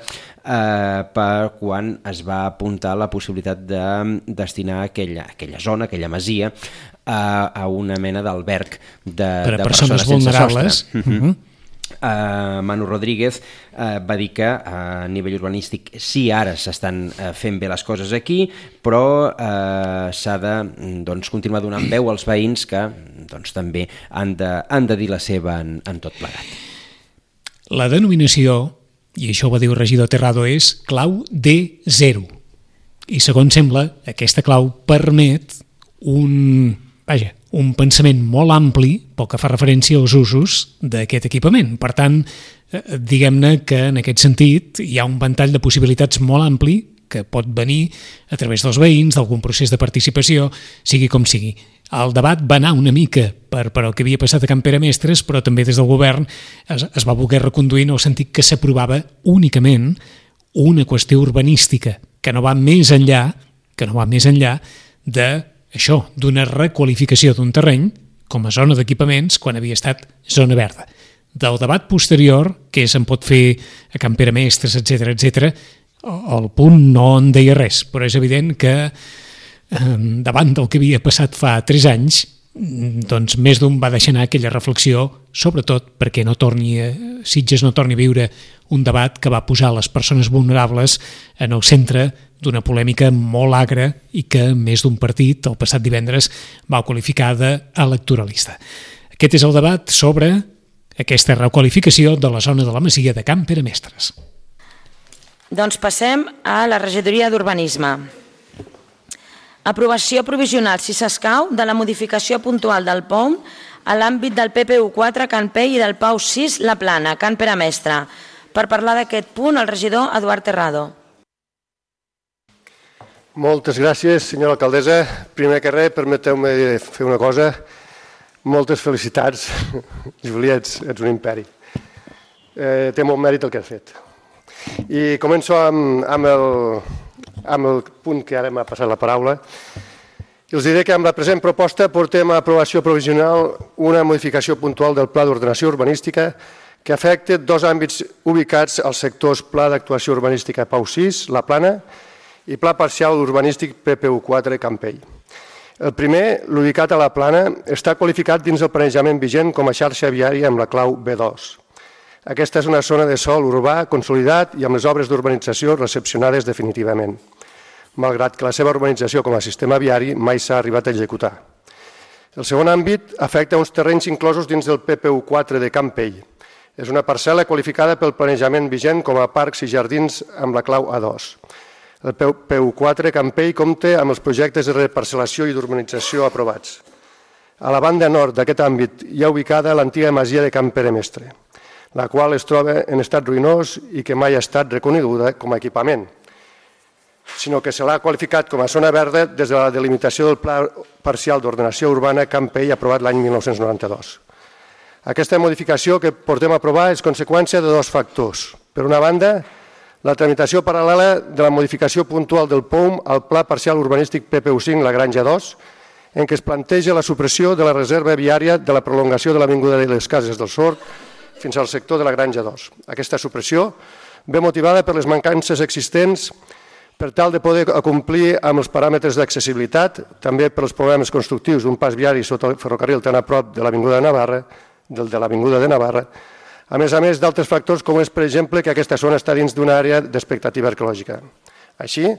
per quan es va apuntar la possibilitat de destinar aquella zona, aquella masia, a una mena d'alberg de persones vulnerables. Manu Rodríguez va dir que a nivell urbanístic sí, ara s'estan fent bé les coses aquí, però s'ha de continuar donant veu als veïns que també han de dir la seva en tot plegat. La denominació, i això ho va dir el regidor Terrado, és clau D0. I segons sembla, aquesta clau permet un pensament molt ampli pel que fa referència als usos d'aquest equipament. Per tant, diguem-ne que en aquest sentit hi ha un ventall de possibilitats molt ampli que pot venir a través dels veïns, d'algun procés de participació, sigui com sigui. El debat va anar una mica per el que havia passat a Can Pere Mestres, però també des del govern es va voler reconduir en el sentit que s'aprovava únicament una qüestió urbanística que no va més enllà d'una requalificació d'un terreny com a zona d'equipaments quan havia estat zona verda. Del debat posterior, que se'n pot fer a Can Pere Mestres, etc., el punt no en deia res, però és evident que davant del que havia passat fa 3 anys, doncs més d'un va deixar anar aquella reflexió, sobretot perquè Sitges no torni a viure un debat que va posar les persones vulnerables en el centre d'una polèmica molt agra i que més d'un partit el passat divendres va qualificar d'electoralista. Aquest és el debat sobre aquesta requalificació de la zona de la Masia de Can Pere Mestres. Doncs passem a la regidoria d'Urbanisme. Aprovació provisional, si s'escau, de la modificació puntual del POM a l'àmbit del PPU4 Can Pei i del PAU 6 La Plana, Can Pere Mestre. Per parlar d'aquest punt, el regidor Eduard Terrado. Moltes gràcies, senyora alcaldessa. Primer que res, permeteu-me fer una cosa. Moltes felicitats. Júlia, ets un imperi. Té molt mèrit el que has fet. I començo amb el punt que ara m'ha passat la paraula. I els diré que amb la present proposta portem a aprovació provisional una modificació puntual del Pla d'Ordenació Urbanística que afecta 2 àmbits ubicats als sectors Pla d'Actuació Urbanística PAU 6, La Plana, i Pla Parcial Urbanístic PPU4 Can Pei. El primer, l'ubicat a La Plana, està qualificat dins el planejament vigent com a xarxa viària amb la clau B2. Aquesta és una zona de sòl urbà consolidat i amb les obres d'urbanització recepcionades definitivament, malgrat que la seva urbanització com a sistema viari mai s'ha arribat a executar. El segon àmbit afecta uns terrenys inclosos dins del PPU4 de Can Pei. És una parcel·la qualificada pel planejament vigent com a parcs i jardins amb la clau A2. El PPU4 Can Pei compta amb els projectes de reparcel·lació i d'urbanització aprovats. A la banda nord d'aquest àmbit hi ha ubicada l'antiga masia de Can Pere Mestre, la qual es troba en estat ruïnós i que mai ha estat reconeguda com a equipament, sinó que se l'ha qualificat com a zona verda des de la delimitació del Pla Parcial d'Ordenació Urbana Can Pei aprovat l'any 1992. Aquesta modificació que portem a aprovar és conseqüència de 2 factors. Per una banda, la tramitació paral·lela de la modificació puntual del POUM al Pla Parcial Urbanístic PPU5 La Granja 2, en què es planteja la supressió de la reserva viària de la prolongació de l'Avinguda de les Cases del Sord fins al sector de la Granja 2. Aquesta supressió ve motivada per les mancances existents per tal de poder complir amb els paràmetres d'accessibilitat, també per als problemes constructius d'un pas viari sota el ferrocarril tan a prop de l'Avinguda de Navarra, a més d'altres factors com és, per exemple, que aquesta zona està dins d'una àrea d'expectativa arqueològica. Així,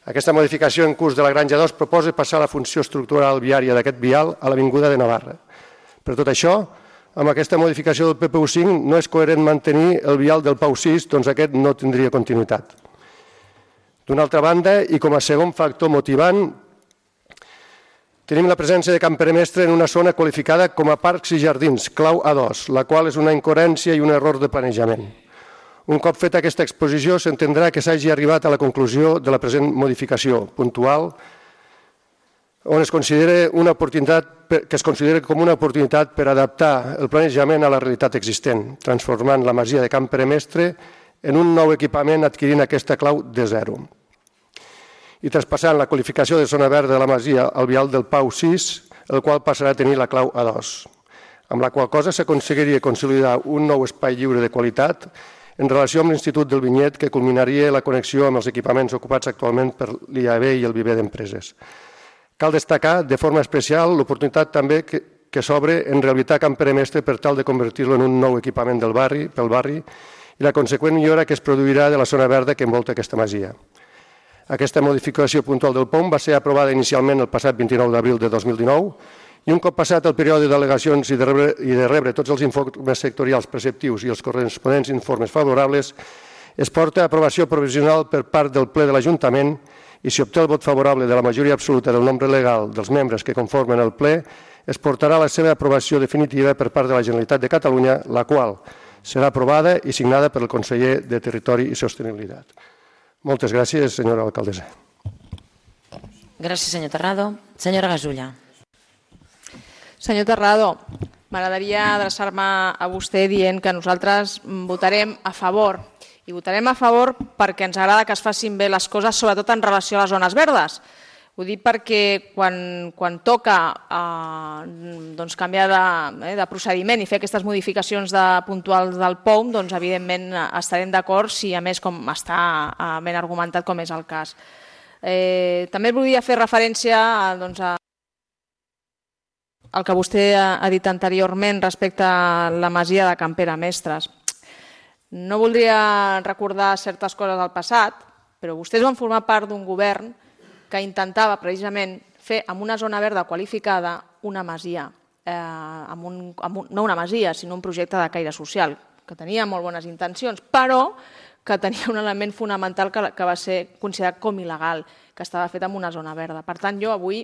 aquesta modificació en curs de la Granja 2 proposa passar la funció estructural viària d'aquest vial a l'Avinguda de Navarra. Per tot això, amb aquesta modificació del PPU5 no és coherent mantenir el vial del PAU 6, doncs aquest no tindria continuïtat. D'una altra banda, i com a segon factor motivant, tenim la presència de Can Pere Mestre en una zona qualificada com a parcs i jardins, clau A2, la qual és una incoherència i un error de planejament. Un cop feta aquesta exposició, s'entendrà que s'hagi arribat a la conclusió de la present modificació puntual, on es considera com una oportunitat per adaptar el planejament a la realitat existent, transformant la masia de Can Pere Mestre en un nou equipament adquirint aquesta clau de 0. i traspassant la qualificació de zona verda de la masia al vial del Pau 6, el qual passarà a tenir la clau A2, amb la qual cosa s'aconseguiria consolidar un nou espai lliure de qualitat en relació amb l'Institut del Vinyet, que culminaria la connexió amb els equipaments ocupats actualment per l'IAB i el Viver d'Empreses. Cal destacar de forma especial l'oportunitat també que s'obre en rehabilitar Can Pere Mestre per tal de convertir-lo en un nou equipament pel barri i la conseqüent millora que es produirà de la zona verda que envolta aquesta masia. Aquesta modificació puntual del POM va ser aprovada inicialment el passat 29 d'abril de 2019 i un cop passat el període d'al·legacions i de rebre tots els informes sectorials preceptius i els corresponents informes favorables, es porta a aprovació provisional per part del ple de l'Ajuntament i si obté el vot favorable de la majoria absoluta del nombre legal dels membres que conformen el ple, es portarà a la seva aprovació definitiva per part de la Generalitat de Catalunya, la qual serà aprovada i signada per el conseller de Territori i Sostenibilitat. Moltes gràcies, senyora alcaldessa. Gràcies, senyor Terrado. Senyora Gasulla. Senyor Terrado, m'agradaria adreçar-me a vostè dient que nosaltres votarem a favor. I votarem a favor perquè ens agrada que es facin bé les coses, sobretot en relació a les zones verdes. Ho dic perquè quan toca canviar de procediment i fer aquestes modificacions puntuals del POM, doncs evidentment estarem d'acord si a més com està ben argumentat com és el cas. També volia fer referència al que vostè ha dit anteriorment respecte a la masia de Can Pere Mestres. No voldria recordar certes coses del passat, però vostès van formar part d'un govern que intentava precisament fer amb una zona verda qualificada una masia, no una masia, sinó un projecte de caire social, que tenia molt bones intencions, però que tenia un element fonamental que va ser considerat com il·legal, que estava fet en una zona verda. Per tant, jo avui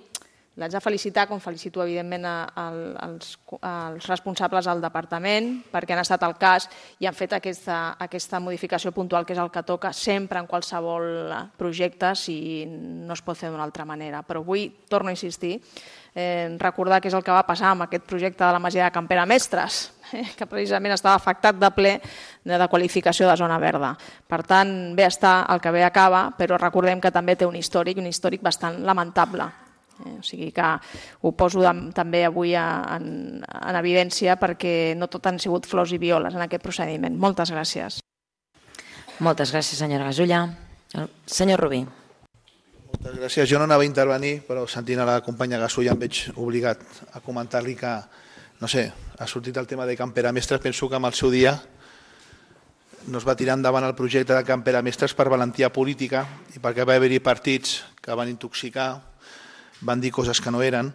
l'haig de felicitar, com felicito evidentment els responsables del departament, perquè han estat al cas i han fet aquesta modificació puntual, que és el que toca sempre en qualsevol projecte, si no es pot fer d'una altra manera. Però avui, torno a insistir, recordar què és el que va passar amb aquest projecte de la masia de Can Pere Mestres, que precisament estava afectat de ple de qualificació de zona verda. Per tant, bé està el que bé acaba, però recordem que també té un històric bastant lamentable. O sigui que ho poso també avui en evidència perquè no tot han sigut flors i violes en aquest procediment. Moltes gràcies. Moltes gràcies, senyora Gasulla. Senyor Rubí. Moltes gràcies. Jo no anava a intervenir, però sentint a la companya Gasulla em veig obligat a comentar-li que, no sé, ha sortit el tema de Can Pere Mestres. Penso que amb el seu dia no es va tirar endavant el projecte de Can Pere Mestres per valentia política i perquè va haver-hi partits que van intoxicar, van dir coses que no eren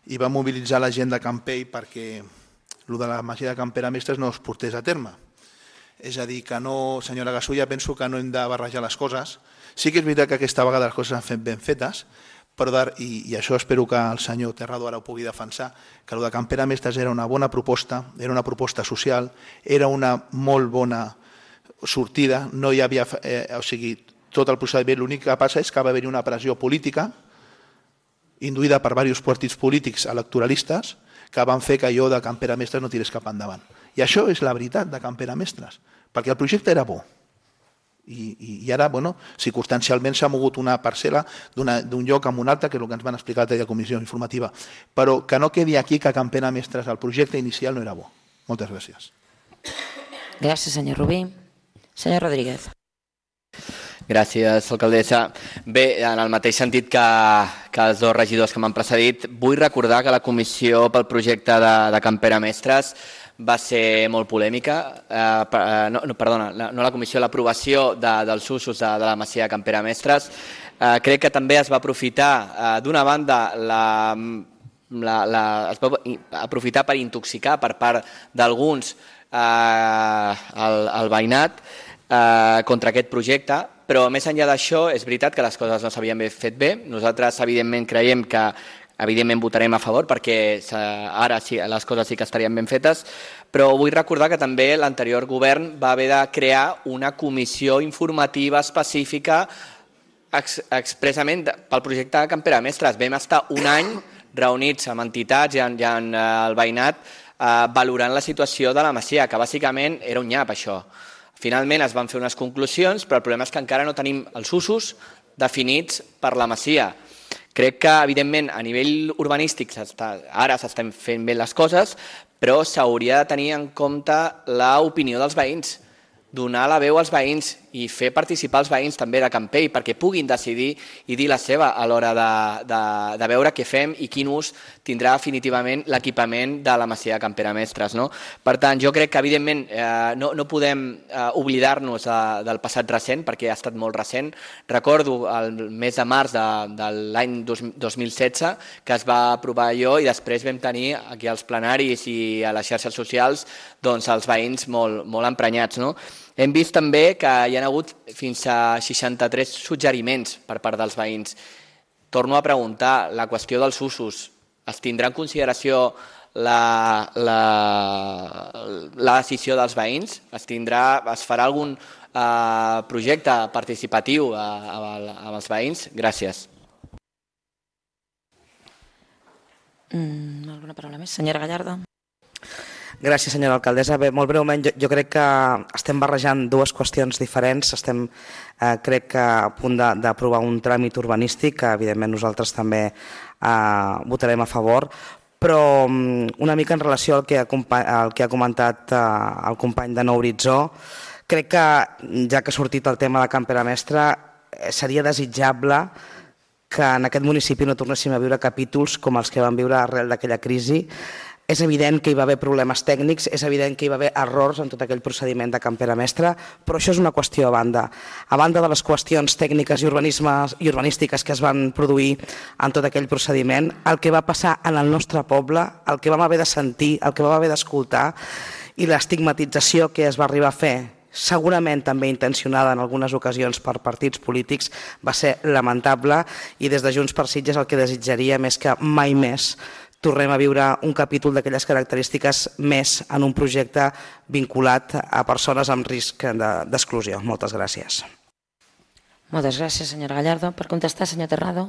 i van mobilitzar la gent de Campell perquè el de la masia de Can Pere Mestres no es portés a terme. És a dir, que no, senyora Gasulla, penso que no hem de barrejar les coses. Sí que és veritat que aquesta vegada les coses s'han fet ben fetes, però i això espero que el senyor Terrado ara ho pugui defensar, que el de Can Pere Mestres era una bona proposta, era una proposta social, era una molt bona sortida, no hi havia, o sigui, tot el procediment, l'únic que passa és que va haver-hi una pressió política induïda per diversos partits polítics electoralistes que van fer que allò de Can Pere Mestres no tirés cap endavant. I això és la veritat de Can Pere Mestres, perquè el projecte era bo. I ara, circumstancialment s'ha mogut una parcel·la d'un lloc a un altre, que és el que ens van explicar a la comissió informativa, però que no quedi aquí que Can Pere Mestres, el projecte inicial no era bo. Moltes gràcies. Gràcies, senyor Rubí. Senyor Rodríguez. Gràcies, alcaldessa. Bé, en el mateix sentit que els dos regidors que m'han precedit, vull recordar que la comissió pel projecte de Can Pere Mestres va ser molt polèmica. No la comissió, l'aprovació dels usos de la masia de Can Pere Mestres. Crec que també es va aprofitar, d'una banda, es va aprofitar per intoxicar per part d'alguns el veïnat contra aquest projecte, però més enllà d'això és veritat que les coses no s'havien fet bé. Nosaltres evidentment creiem que votarem a favor perquè ara sí, les coses sí que estarien ben fetes, però vull recordar que també l'anterior govern va haver de crear una comissió informativa específica expressament pel projecte de Can Pere Mestres. Vam estar un any reunits amb entitats i amb el veïnat valorant la situació de la masia, que bàsicament era un nyap això. Finalment es van fer unes conclusions, però el problema és que encara no tenim els usos definits per la masia. Crec que, evidentment, a nivell urbanístic ara s'estan fent bé les coses, però s'hauria de tenir en compte l'opinió dels veïns, donar la veu als veïns i fer participar els veïns també de Campell perquè puguin decidir i dir la seva a l'hora de veure què fem i quin ús tindrà definitivament l'equipament de la masia de Camperamestres. Per tant, jo crec que evidentment no podem oblidar-nos del passat recent perquè ha estat molt recent. Recordo el mes de març de l'any 2016 que es va aprovar allò i després vam tenir aquí als plenaris i a les xarxes socials els veïns molt emprenyats. Hem vist també que hi ha hagut fins a 63 suggeriments per part dels veïns. Torno a preguntar, la qüestió dels usos, es tindrà en consideració la decisió dels veïns? Es farà algun projecte participatiu amb els veïns? Gràcies. Alguna paraula més? Senyora Gallardo. Gràcies, senyora alcaldessa. Bé, molt breument, jo crec que estem barrejant dues qüestions diferents. Estem, crec que, a punt d'aprovar un tràmit urbanístic, que evidentment nosaltres també votarem a favor, però una mica en relació al que ha comentat el company de Nou Horitzó, crec que, ja que ha sortit el tema de Camperamestre, seria desitjable que en aquest municipi no tornéssim a viure capítols com els que vam viure arrel d'aquella crisi. És evident que hi va haver problemes tècnics, és evident que hi va haver errors en tot aquell procediment de Camperamestre, però això és una qüestió a banda. A banda de les qüestions tècniques i urbanístiques que es van produir en tot aquell procediment, el que va passar en el nostre poble, el que vam haver de sentir, el que vam haver d'escoltar i l'estigmatització que es va arribar a fer, segurament també intencionada en algunes ocasions per partits polítics, va ser lamentable i des de Junts per Sitges el que desitjaria més que mai més tornem a viure un capítol d'aquelles característiques més en un projecte vinculat a persones amb risc d'exclusió. Moltes gràcies. Moltes gràcies, senyora Gallardo. Per contestar, senyor Terrado.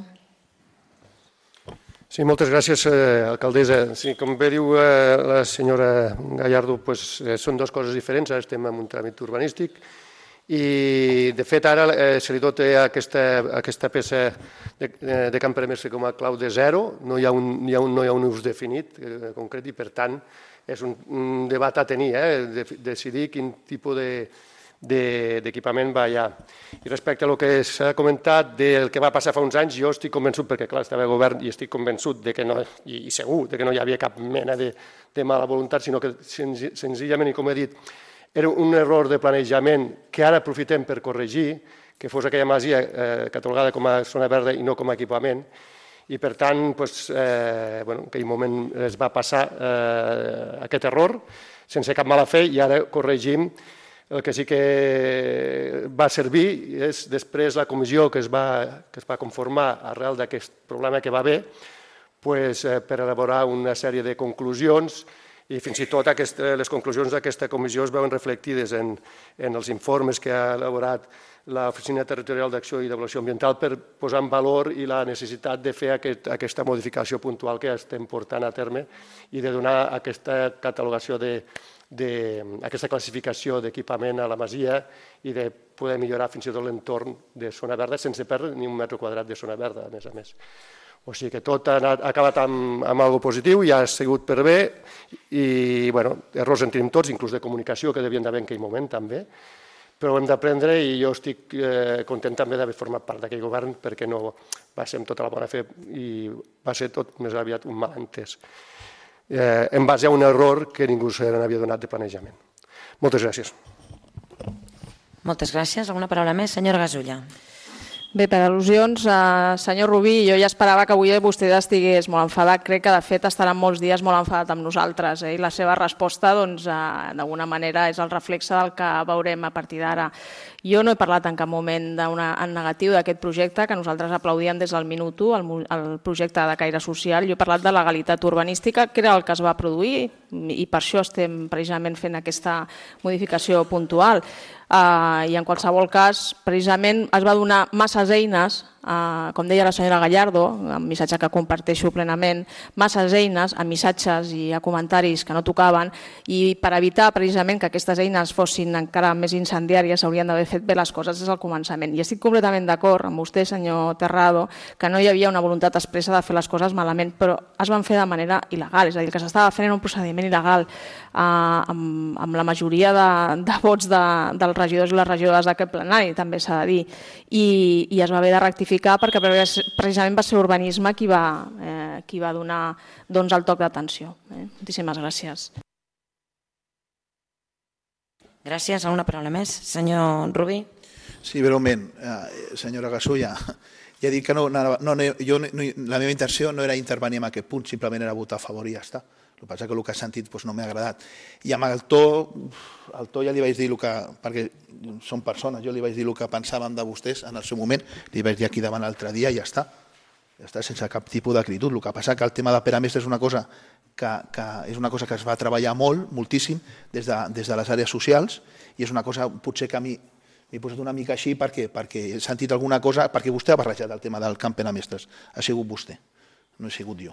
Sí, moltes gràcies, alcaldessa. Sí, com bé diu la senyora Gallardo, són dues coses diferents. Ara estem en un tràmit urbanístic i, de fet, ara se li dota aquesta peça de Camperamestre com a clau de zero. No hi ha un ús definit concret i, per tant, és un debat a tenir, decidir quin tipus d'equipament va allà. I respecte al que s'ha comentat del que va passar fa uns anys, jo estic convençut, perquè clar, estava al govern i estic convençut i segur que no hi havia cap mena de mala voluntat, sinó que senzillament, i com he dit, era un error de planejament que ara aprofitem per corregir, que fos aquella masia catalogada com a zona verda i no com a equipament, i per tant, en aquell moment es va passar aquest error sense cap mala fe i ara corregim. El que sí que va servir és després la comissió que es va conformar arrel d'aquest problema que va haver per elaborar una sèrie de conclusions i fins i tot les conclusions d'aquesta comissió es veuen reflectides en els informes que ha elaborat l'Oficina Territorial d'Acció i d'Avaluació Ambiental per posar en valor i la necessitat de fer aquesta modificació puntual que estem portant a terme i de donar aquesta catalogació aquesta classificació d'equipament a la masia i de poder millorar fins i tot l'entorn de zona verda sense perdre ni un metre quadrat de zona verda, a més a més. O sigui que tot ha acabat amb alguna cosa positiu i ha sigut per bé i errors en tenim tots, inclús de comunicació que devien d'haver en aquell moment també, però ho hem d'aprendre i jo estic content també d'haver format part d'aquell govern perquè no va ser amb tota la bona fe i va ser tot més aviat un malentès en base a un error que ningú se n'havia donat de planejament. Moltes gràcies. Moltes gràcies. Alguna paraula més? Senyora Gasulla. Bé, per al·lusions, senyor Rubí, jo ja esperava que avui vostè estigués molt enfadat. Crec que, de fet, estarà molts dies molt enfadat amb nosaltres. I la seva resposta, d'alguna manera, és el reflexe del que veurem a partir d'ara. Jo no he parlat en cap moment en negatiu d'aquest projecte, que nosaltres aplaudíem des del minut 1, el projecte de caire social. Jo he parlat de legalitat urbanística, que era el que es va produir, i per això estem precisament fent aquesta modificació puntual. I en qualsevol cas, precisament es va donar masses eines com deia la senyora Gallardo, un missatge que comparteixo plenament, masses eines a missatges i a comentaris que no tocaven, i per evitar precisament que aquestes eines fossin encara més incendiàries s'haurien d'haver fet bé les coses des del començament. I estic completament d'acord amb vostè, senyor Terrado, que no hi havia una voluntat expressa de fer les coses malament, però es van fer de manera il·legal, és a dir, que s'estava fent un procediment il·legal amb la majoria de vots dels regidors i les regidores d'aquest plenari, també s'ha de dir, i es va haver de rectificar perquè precisament va ser Urbanisme qui va donar el toc d'atenció. Moltíssimes gràcies. Gràcies. Alguna paraula més? Senyor Rubí? Sí, breument. Senyora Gasulla, ja dic que la meva intenció no era intervenir en aquest punt, simplement era votar a favor i ja està. El que passa que el que ha sentit no m'ha agradat. I amb el to ja li vaig dir perquè són persones, jo li vaig dir el que pensàvem de vostès en el seu moment, li vaig dir aquí davant l'altre dia i ja està. Ja està, sense cap tipus d'acritud. El que passa que el tema de Pere Mestre és una cosa que es va treballar moltíssim des de les àrees socials i és una cosa potser que a mi m'he posat una mica així perquè he sentit alguna cosa, perquè vostè ha barrejat el tema del camp Pere Mestres, ha sigut vostè, no he sigut jo.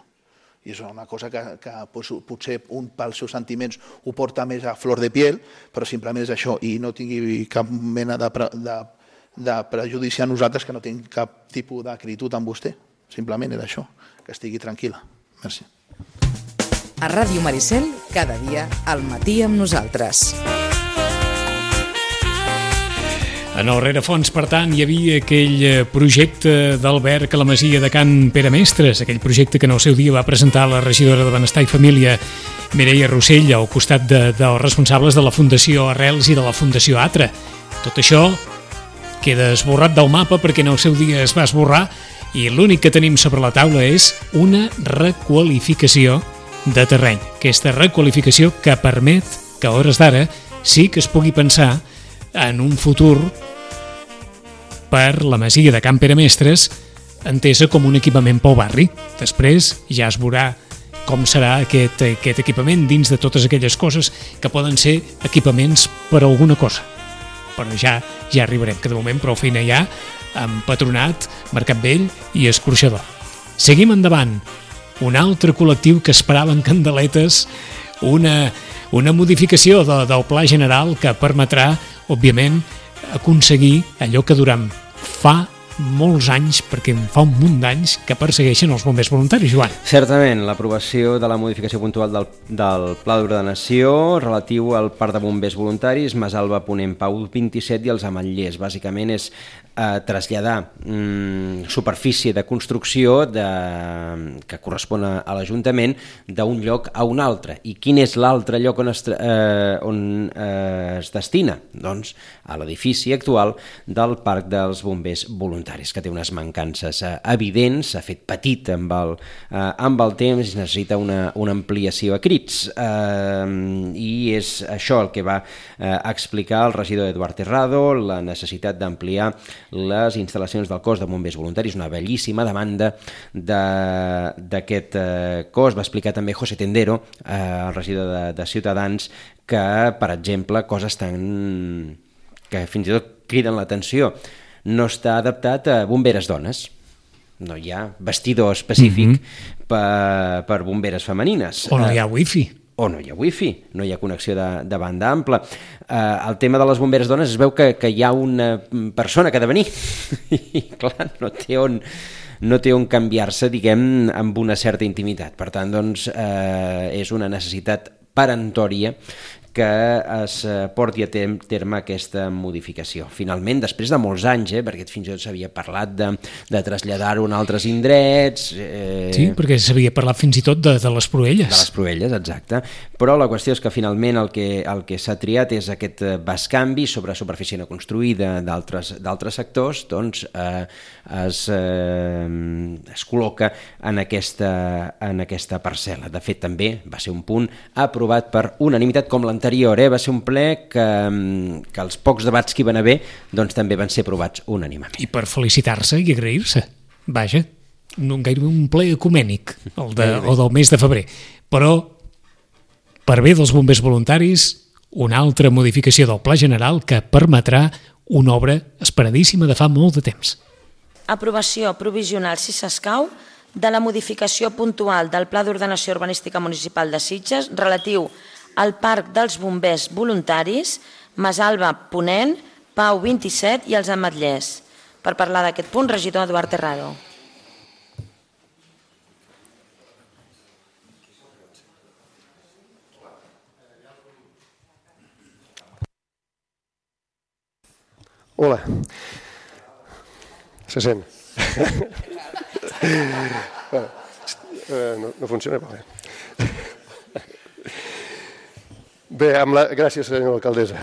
I és una cosa que potser un pels seus sentiments ho porta més a flor de piel, però simplement és això, i no tingui cap mena de prejudici a nosaltres, que no tinc cap tipus d'acritud amb vostè, simplement era això, que estigui tranquil·la. Merci. A Ràdio Maricel, cada dia al matí amb nosaltres. En el rerefons, per tant, hi havia aquell projecte d'Albert Calamasia de Can Pere Mestres, aquell projecte que en el seu dia va presentar la regidora de Benestar i Família, Mireia Rossell, al costat dels responsables de la Fundació Arrels i de la Fundació Atra. Tot això queda esborrat del mapa perquè en el seu dia es va esborrar i l'únic que tenim sobre la taula és una requalificació de terreny. Aquesta requalificació que permet que a hores d'ara sí que es pugui pensar en un futur per la masia de Can Pere Mestres entesa com un equipament pel barri. Després ja es veurà com serà aquest equipament dins de totes aquelles coses que poden ser equipaments per a alguna cosa. Però ja arribarem, que de moment prou feina hi ha amb Patronat, Mercat Vell i Escorxador. Seguim endavant. Un altre col·lectiu que esperava en candeletes una modificació del Pla General que permetrà, òbviament, aconseguir allò que durant fa molts anys, perquè fa un munt d'anys, que persegueixen els bombers voluntaris, Joan. Certament, l'aprovació de la modificació puntual del Pla d'Ordenació relatiu al Parc de Bombers Voluntaris, Masalba, Ponent, Pau 27 i els Ametllers. Bàsicament és traslladar superfície de construcció que correspon a l'Ajuntament d'un lloc a un altre. I quin és l'altre lloc on es destina? Doncs a l'edifici actual del Parc dels Bombers Voluntaris, que té unes mancances evidents, s'ha fet petit amb el temps i necessita una ampliació a crits. I és això el que va explicar el regidor Eduard Terrado, la necessitat d'ampliar les instal·lacions del cos de bombers voluntaris, una bellíssima demanda d'aquest cos. Va explicar també José Tendero, el regidor de Ciutadans, que, per exemple, coses que fins i tot criden l'atenció. No està adaptat a bomberes dones. No hi ha vestidor específic per bomberes femenines. O no hi ha wifi. O no hi ha wifi, no hi ha connexió de banda ampla. El tema de les bomberes dones es veu que hi ha una persona que ha de venir i clar, no té on canviar-se, diguem, amb una certa intimitat. Per tant, doncs, és una necessitat peremptòria que es porti a terme aquesta modificació. Finalment, després de molts anys, perquè fins i tot s'havia parlat de traslladar-ho a altres indrets... Sí, perquè s'havia parlat fins i tot de les Proelles. De les Proelles, exacte. Però la qüestió és que finalment el que s'ha triat és aquest bescanvi sobre superfície no construïda d'altres sectors, doncs es col·loca en aquesta parcel·la. De fet, també va ser un punt aprovat per unanimitat com l'anterior, va ser un ple que els pocs debats que hi van haver doncs també van ser aprovats unànimement. I per felicitar-se i agrair-se. Vaja, gairebé un ple ecumènic, el del mes de febrer. Però, per bé dels bombers voluntaris, una altra modificació del Pla General que permetrà una obra esperadíssima de fa molt de temps. aprovació provisional, si s'escau, de la modificació puntual del Pla d'Ordenació Urbanística Municipal de Sitges relatiu al Parc dels Bombers Voluntaris, Masalva Ponent, Pau 27 i els Ametllers. Per parlar d'aquest punt, regidor Eduard Terrado. Hola. Se sent. No funciona? Bé, gràcies, senyora alcaldessa.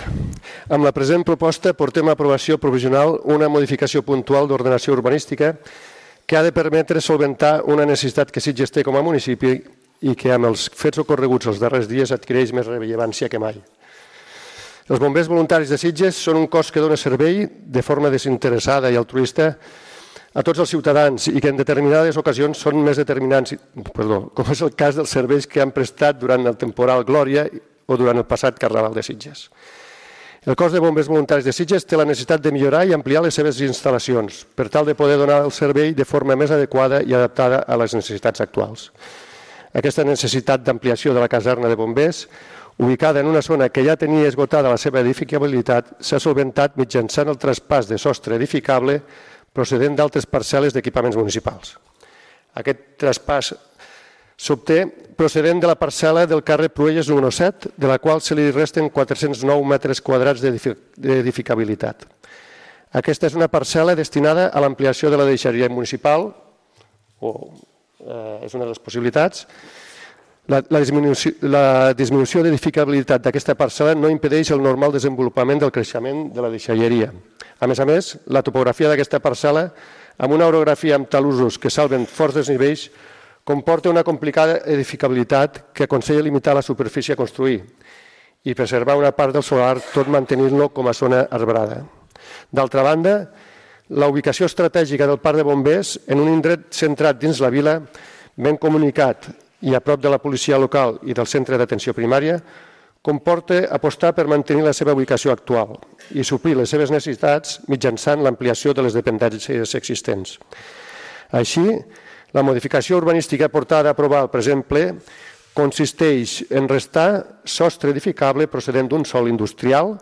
Amb la present proposta portem a aprovació provisional una modificació puntual d'ordenació urbanística que ha de permetre solventar una necessitat que Sitges té com a municipi i que amb els fets ocorreguts els darrers dies adquireix més rellevància que mai. Els bombers voluntaris de Sitges són un cos que dona servei de forma desinteressada i altruista a tots els ciutadans i que en determinades ocasions són més determinants, com és el cas dels serveis que han prestat durant el temporal Glòria o durant el passat Carnaval de Sitges. El cos de bombers voluntaris de Sitges té la necessitat de millorar i ampliar les seves instal·lacions per tal de poder donar el servei de forma més adequada i adaptada a les necessitats actuals. Aquesta necessitat d'ampliació de la caserna de bombers, ubicada en una zona que ja tenia esgotada la seva edificabilitat, s'ha solventat mitjançant el traspàs de sostre edificable procedent d'altres parcel·les d'equipaments municipals. Aquest traspàs s'obté procedent de la parcel·la del carrer Pruelles número 7, de la qual se li resten 409 metres quadrats d'edificabilitat. Aquesta és una parcel·la destinada a l'ampliació de la deixalleria municipal, és una de les possibilitats. La disminució d'edificabilitat d'aquesta parcel·la no impedeix el normal desenvolupament del creixement de la deixalleria. A més, la topografia d'aquesta parcel·la, amb una orografia amb talussos que salven forts desnivells, comporta una complicada edificabilitat que aconsella limitar la superfície a construir i preservar una part del solar, tot mantenint-lo com a zona arbrada. D'altra banda, la ubicació estratègica del Parc de Bombers en un indret centrat dins la vila, ben comunicat i a prop de la policia local i del centre d'atenció primària, comporta apostar per mantenir la seva ubicació actual i suplir les seves necessitats mitjançant l'ampliació de les dependències existents. Així, la modificació urbanística portada a aprovar al present ple consisteix en restar sostre edificable procedent d'un sòl industrial,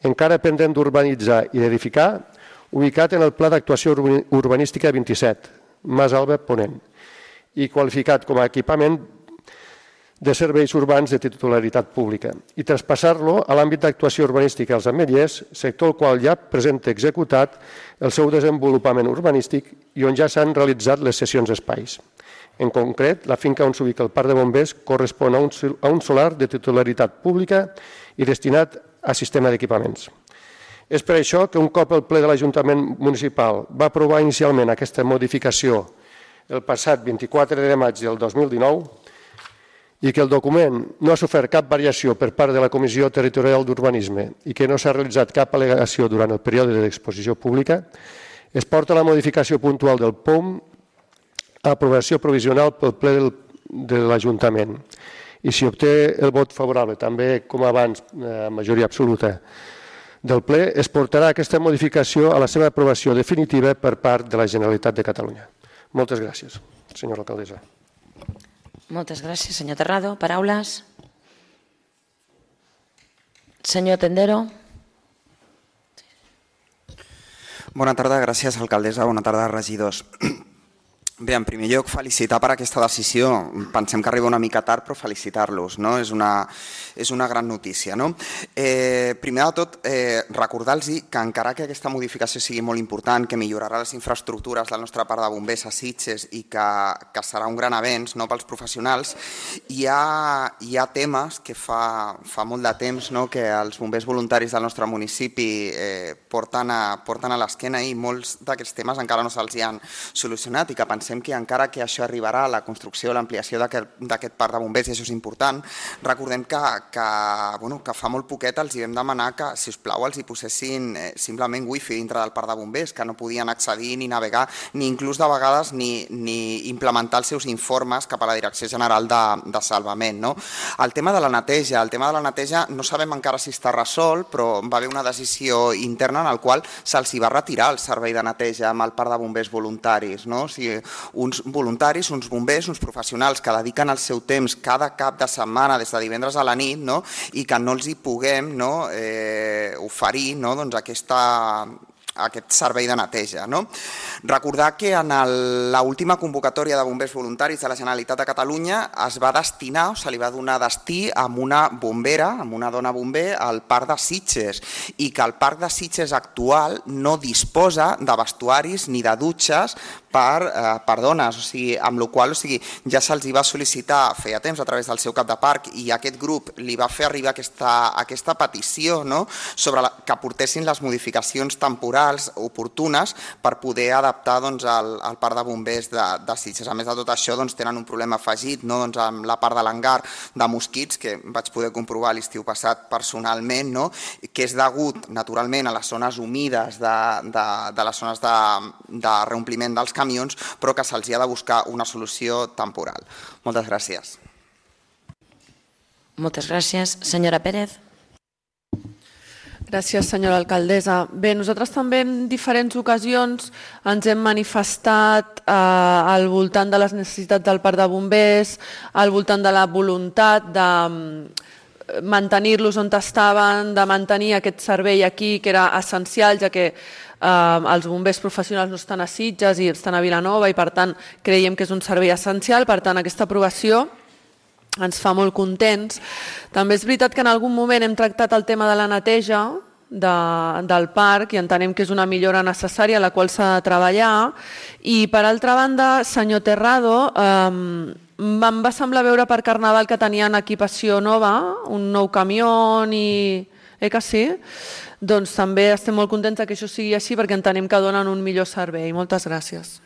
encara pendent d'urbanitzar i d'edificar, ubicat en el Pla d'Actuació Urbanística 27, Masalva Ponent, i qualificat com a equipament de serveis urbans de titularitat pública, i traspassar-lo a l'àmbit d'actuació urbanística als Ametllers, sector al qual ja presenta executat el seu desenvolupament urbanístic i on ja s'han realitzat les cessions d'espais. En concret, la finca on s'ubica el Parc de Bombers correspon a un solar de titularitat pública i destinat a sistema d'equipaments. És per això que un cop el ple de l'Ajuntament Municipal va aprovar inicialment aquesta modificació el passat 24 de maig del 2019 i que el document no ha sofert cap variació per part de la Comissió Territorial d'Urbanisme i que no s'ha realitzat cap al·legació durant el període d'exposició pública, es porta la modificació puntual del POM a aprovació provisional pel ple de l'Ajuntament. I si obté el vot favorable, també com abans, majoria absoluta del ple, es portarà aquesta modificació a la seva aprovació definitiva per part de la Generalitat de Catalunya. Moltes gràcies, senyora alcaldessa. Moltes gràcies, senyor Terrado. Paraules? Senyor Tendero. Bona tarda, gràcies, alcaldessa. Bona tarda, regidors. Bé, en primer lloc, felicitar per aquesta decisió. Pensem que arriba una mica tard, però felicitar-los. És una gran notícia. Primer de tot, recordar-los que encara que aquesta modificació sigui molt important, que millorarà les infraestructures del nostre parc de bombers a Sitges i que serà un gran avenç pels professionals, hi ha temes que fa molt de temps que els bombers voluntaris del nostre municipi porten a l'esquena i molts d'aquests temes encara no se'ls han solucionat i que pensem pensem que encara que això arribarà a la construcció, l'ampliació d'aquest parc de bombers, i això és important, recordem que fa molt poquet els hi vam demanar que, si us plau, els hi posessin simplement wifi dintre del parc de bombers, que no podien accedir ni navegar, ni inclús de vegades ni implementar els seus informes cap a la Direcció General de Salvament. El tema de la neteja no sabem encara si està resolt, però va haver una decisió interna en la qual se'ls va retirar el servei de neteja amb el parc de bombers voluntaris. O sigui, uns voluntaris, uns bombers, uns professionals que dediquen el seu temps cada cap de setmana des de divendres a la nit i que no els hi puguem oferir aquest servei de neteja. Recordar que en l'última convocatòria de bombers voluntaris de la Generalitat de Catalunya es va destinar, o se li va donar destí amb una bombera, amb una dona bomber al Parc de Sitges, i que el Parc de Sitges actual no disposa de vestuaris ni de dutxes per dones, amb la qual cosa ja se'ls va sol·licitar feia temps a través del seu cap de parc, i aquest grup li va fer arribar aquesta petició sobre que portessin les modificacions temporals oportunes per poder adaptar el parc de bombers de Sitges. A més de tot això, tenen un problema afegit amb la part de l'hangar de mosquits, que vaig poder comprovar l'estiu passat personalment, que és degut naturalment a les zones humides de les zones de reompliment dels camions, però que se'ls ha de buscar una solució temporal. Moltes gràcies. Moltes gràcies. Senyora Pérez. Gràcies, senyora alcaldessa. Bé, nosaltres també en diferents ocasions ens hem manifestat al voltant de les necessitats del parc de bombers, al voltant de la voluntat de mantenir-los on estaven, de mantenir aquest servei aquí, que era essencial, ja que els bombers professionals no estan a Sitges i estan a Vilanova, i per tant creiem que és un servei essencial. Per tant, aquesta aprovació ens fa molt contents. També és veritat que en algun moment hem tractat el tema de la neteja del parc i entenem que és una millora necessària a la qual s'ha de treballar. I per altra banda, senyor Terrado, em va semblar veure per Carnaval que tenien equipació nova, un nou camió i... que sí? Doncs també estem molt contents que això sigui així perquè entenem que donen un millor servei. Moltes gràcies.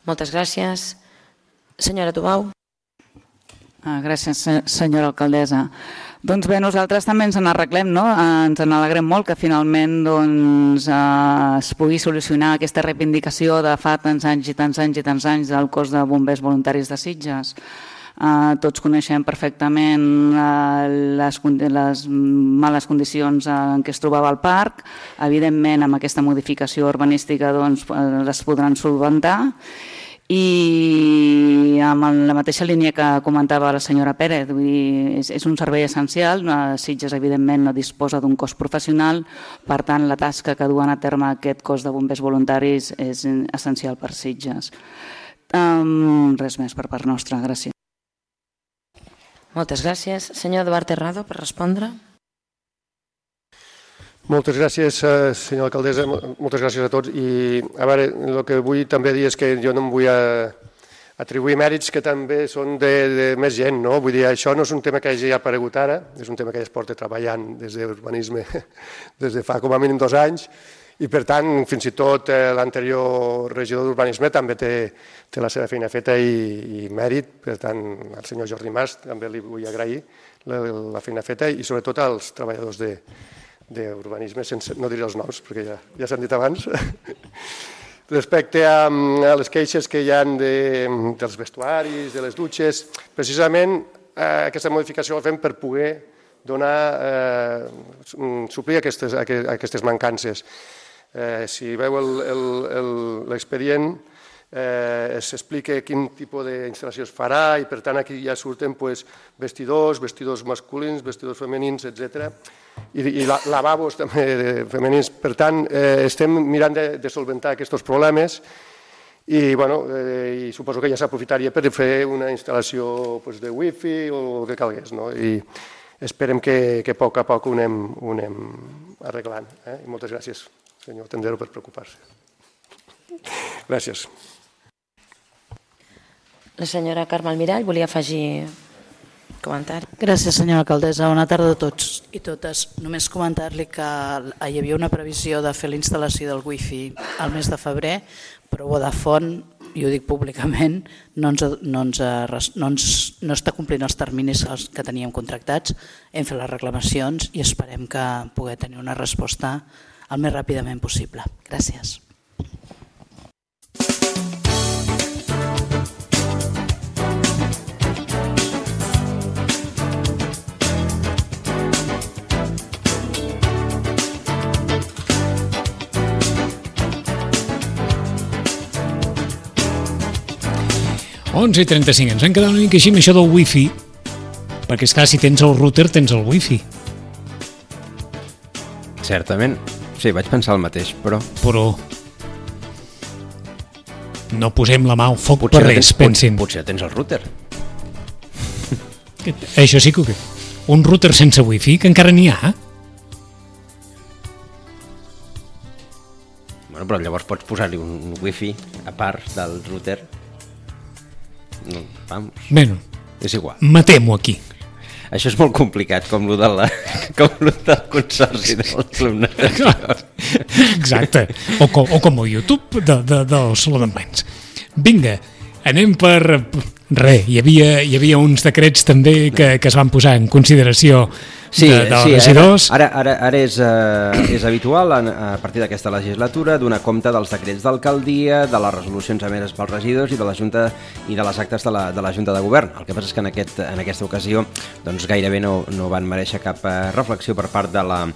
Moltes gràcies. Senyora Tubau. Gràcies, senyora alcaldessa. Doncs bé, nosaltres també ens n'arreglem, ens n'alegrem molt que finalment es pugui solucionar aquesta reivindicació de fa tants anys i tants anys i tants anys del cos de bombers voluntaris de Sitges. Tots coneixem perfectament les males condicions en què es trobava el parc. Evidentment, amb aquesta modificació urbanística les podran solventar. I amb la mateixa línia que comentava la senyora Pérez, és un servei essencial. Sitges, evidentment, no disposa d'un cos professional, per tant, la tasca que duen a terme aquest cos de bombers voluntaris és essencial per Sitges. Res més per part nostra, gràcies. Moltes gràcies. Senyor Eduard Terrado, per respondre. Moltes gràcies, senyora alcaldessa, moltes gràcies a tots. I a veure, el que vull també dir és que jo no em vull atribuir mèrits que també són de més gent, no? Vull dir, això no és un tema que hagi aparegut ara, és un tema que ja es porta treballant des d'urbanisme des de fa com a mínim 2 anys, i per tant, fins i tot l'anterior regidor d'urbanisme també té la seva feina feta i mèrit. Per tant, al senyor Jordi Mas també li vull agrair la feina feta i sobretot als treballadors d'urbanisme, no diré els noms perquè ja s'han dit abans. Respecte a les queixes que hi ha dels vestuaris, de les dutxes, precisament aquesta modificació la fem per poder suplir aquestes mancances. Si veu l'expedient, s'explica quin tipus d'instal·lació es farà i per tant aquí ja surten vestidors masculins, vestidors femenins, etc. I lavabos també femenins. Per tant, estem mirant de solventar aquests problemes i suposo que ja s'aprofitaria per fer una instal·lació de wifi o el que calgués. I esperem que a poc ho anem arreglant. Moltes gràcies, senyor Tendero, per preocupar-se. Gràcies. La senyora Carme Almirall volia afegir comentari. Gràcies, senyora alcaldessa. Bona tarda a tots i totes. Només comentar-li que hi havia una previsió de fer la instal·lació del wifi al mes de febrer, però Vodafone i ho dic públicament, no està complint els terminis que teníem contractats, hem fet les reclamacions i esperem que pugui tenir una resposta el més ràpidament possible. Gràcies. i 35. Ens han quedat una mica així amb això del wifi, perquè és clar, si tens el router tens el wifi. Certament. Sí, vaig pensar el mateix, però... no posem la mà al foc per res, pensin. Potser tens el router. Això sí que... Un router sense wifi, que encara n'hi ha. Bueno, però llavors pots posar-li un wifi a part del router. No, vamos. Bueno, és igual. Matem-ho aquí. Això és molt complicat, com lo del consorci del Club Natació. Exacte. O com el YouTube del Saló d'en Plens. Vinga, anem per... hi havia uns decrets també que es van posar en consideració dels regidors. Ara és habitual, a partir d'aquesta legislatura, donar compte dels decrets d'alcaldia, de les resolucions emeses pels regidors i de la Junta i de les actes de la Junta de Govern. El que passa és que en aquesta ocasió doncs, gairebé no van mereixer cap reflexió per part de la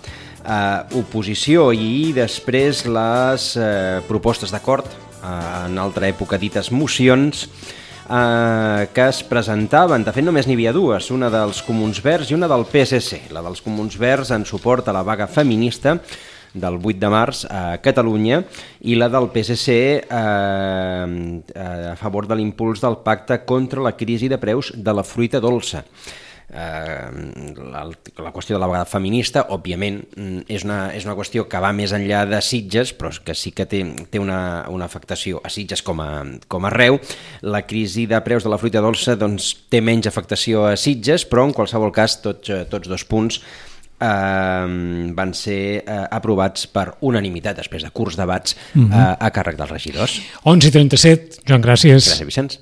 oposició i després les propostes d'acord, en altra època dites mocions, que es presentaven. De fet, només n'hi havia dues, una dels Comuns Verds i una del PSC. La dels Comuns Verds en suport a la vaga feminista del 8 de març a Catalunya i la del PSC a favor de l'impuls del pacte contra la crisi de preus de la fruita dolça. La qüestió de la vaga feminista, òbviament, és una qüestió que va més enllà de Sitges, però que sí que té una afectació a Sitges com a arreu. La crisi de preus de la fruita dolça doncs, té menys afectació a Sitges, però en qualsevol cas tots dos punts van ser aprovats per unanimitat després de curts debats a càrrec dels regidors. 11:37, Joan, gràcies. Gràcies, Vicenç.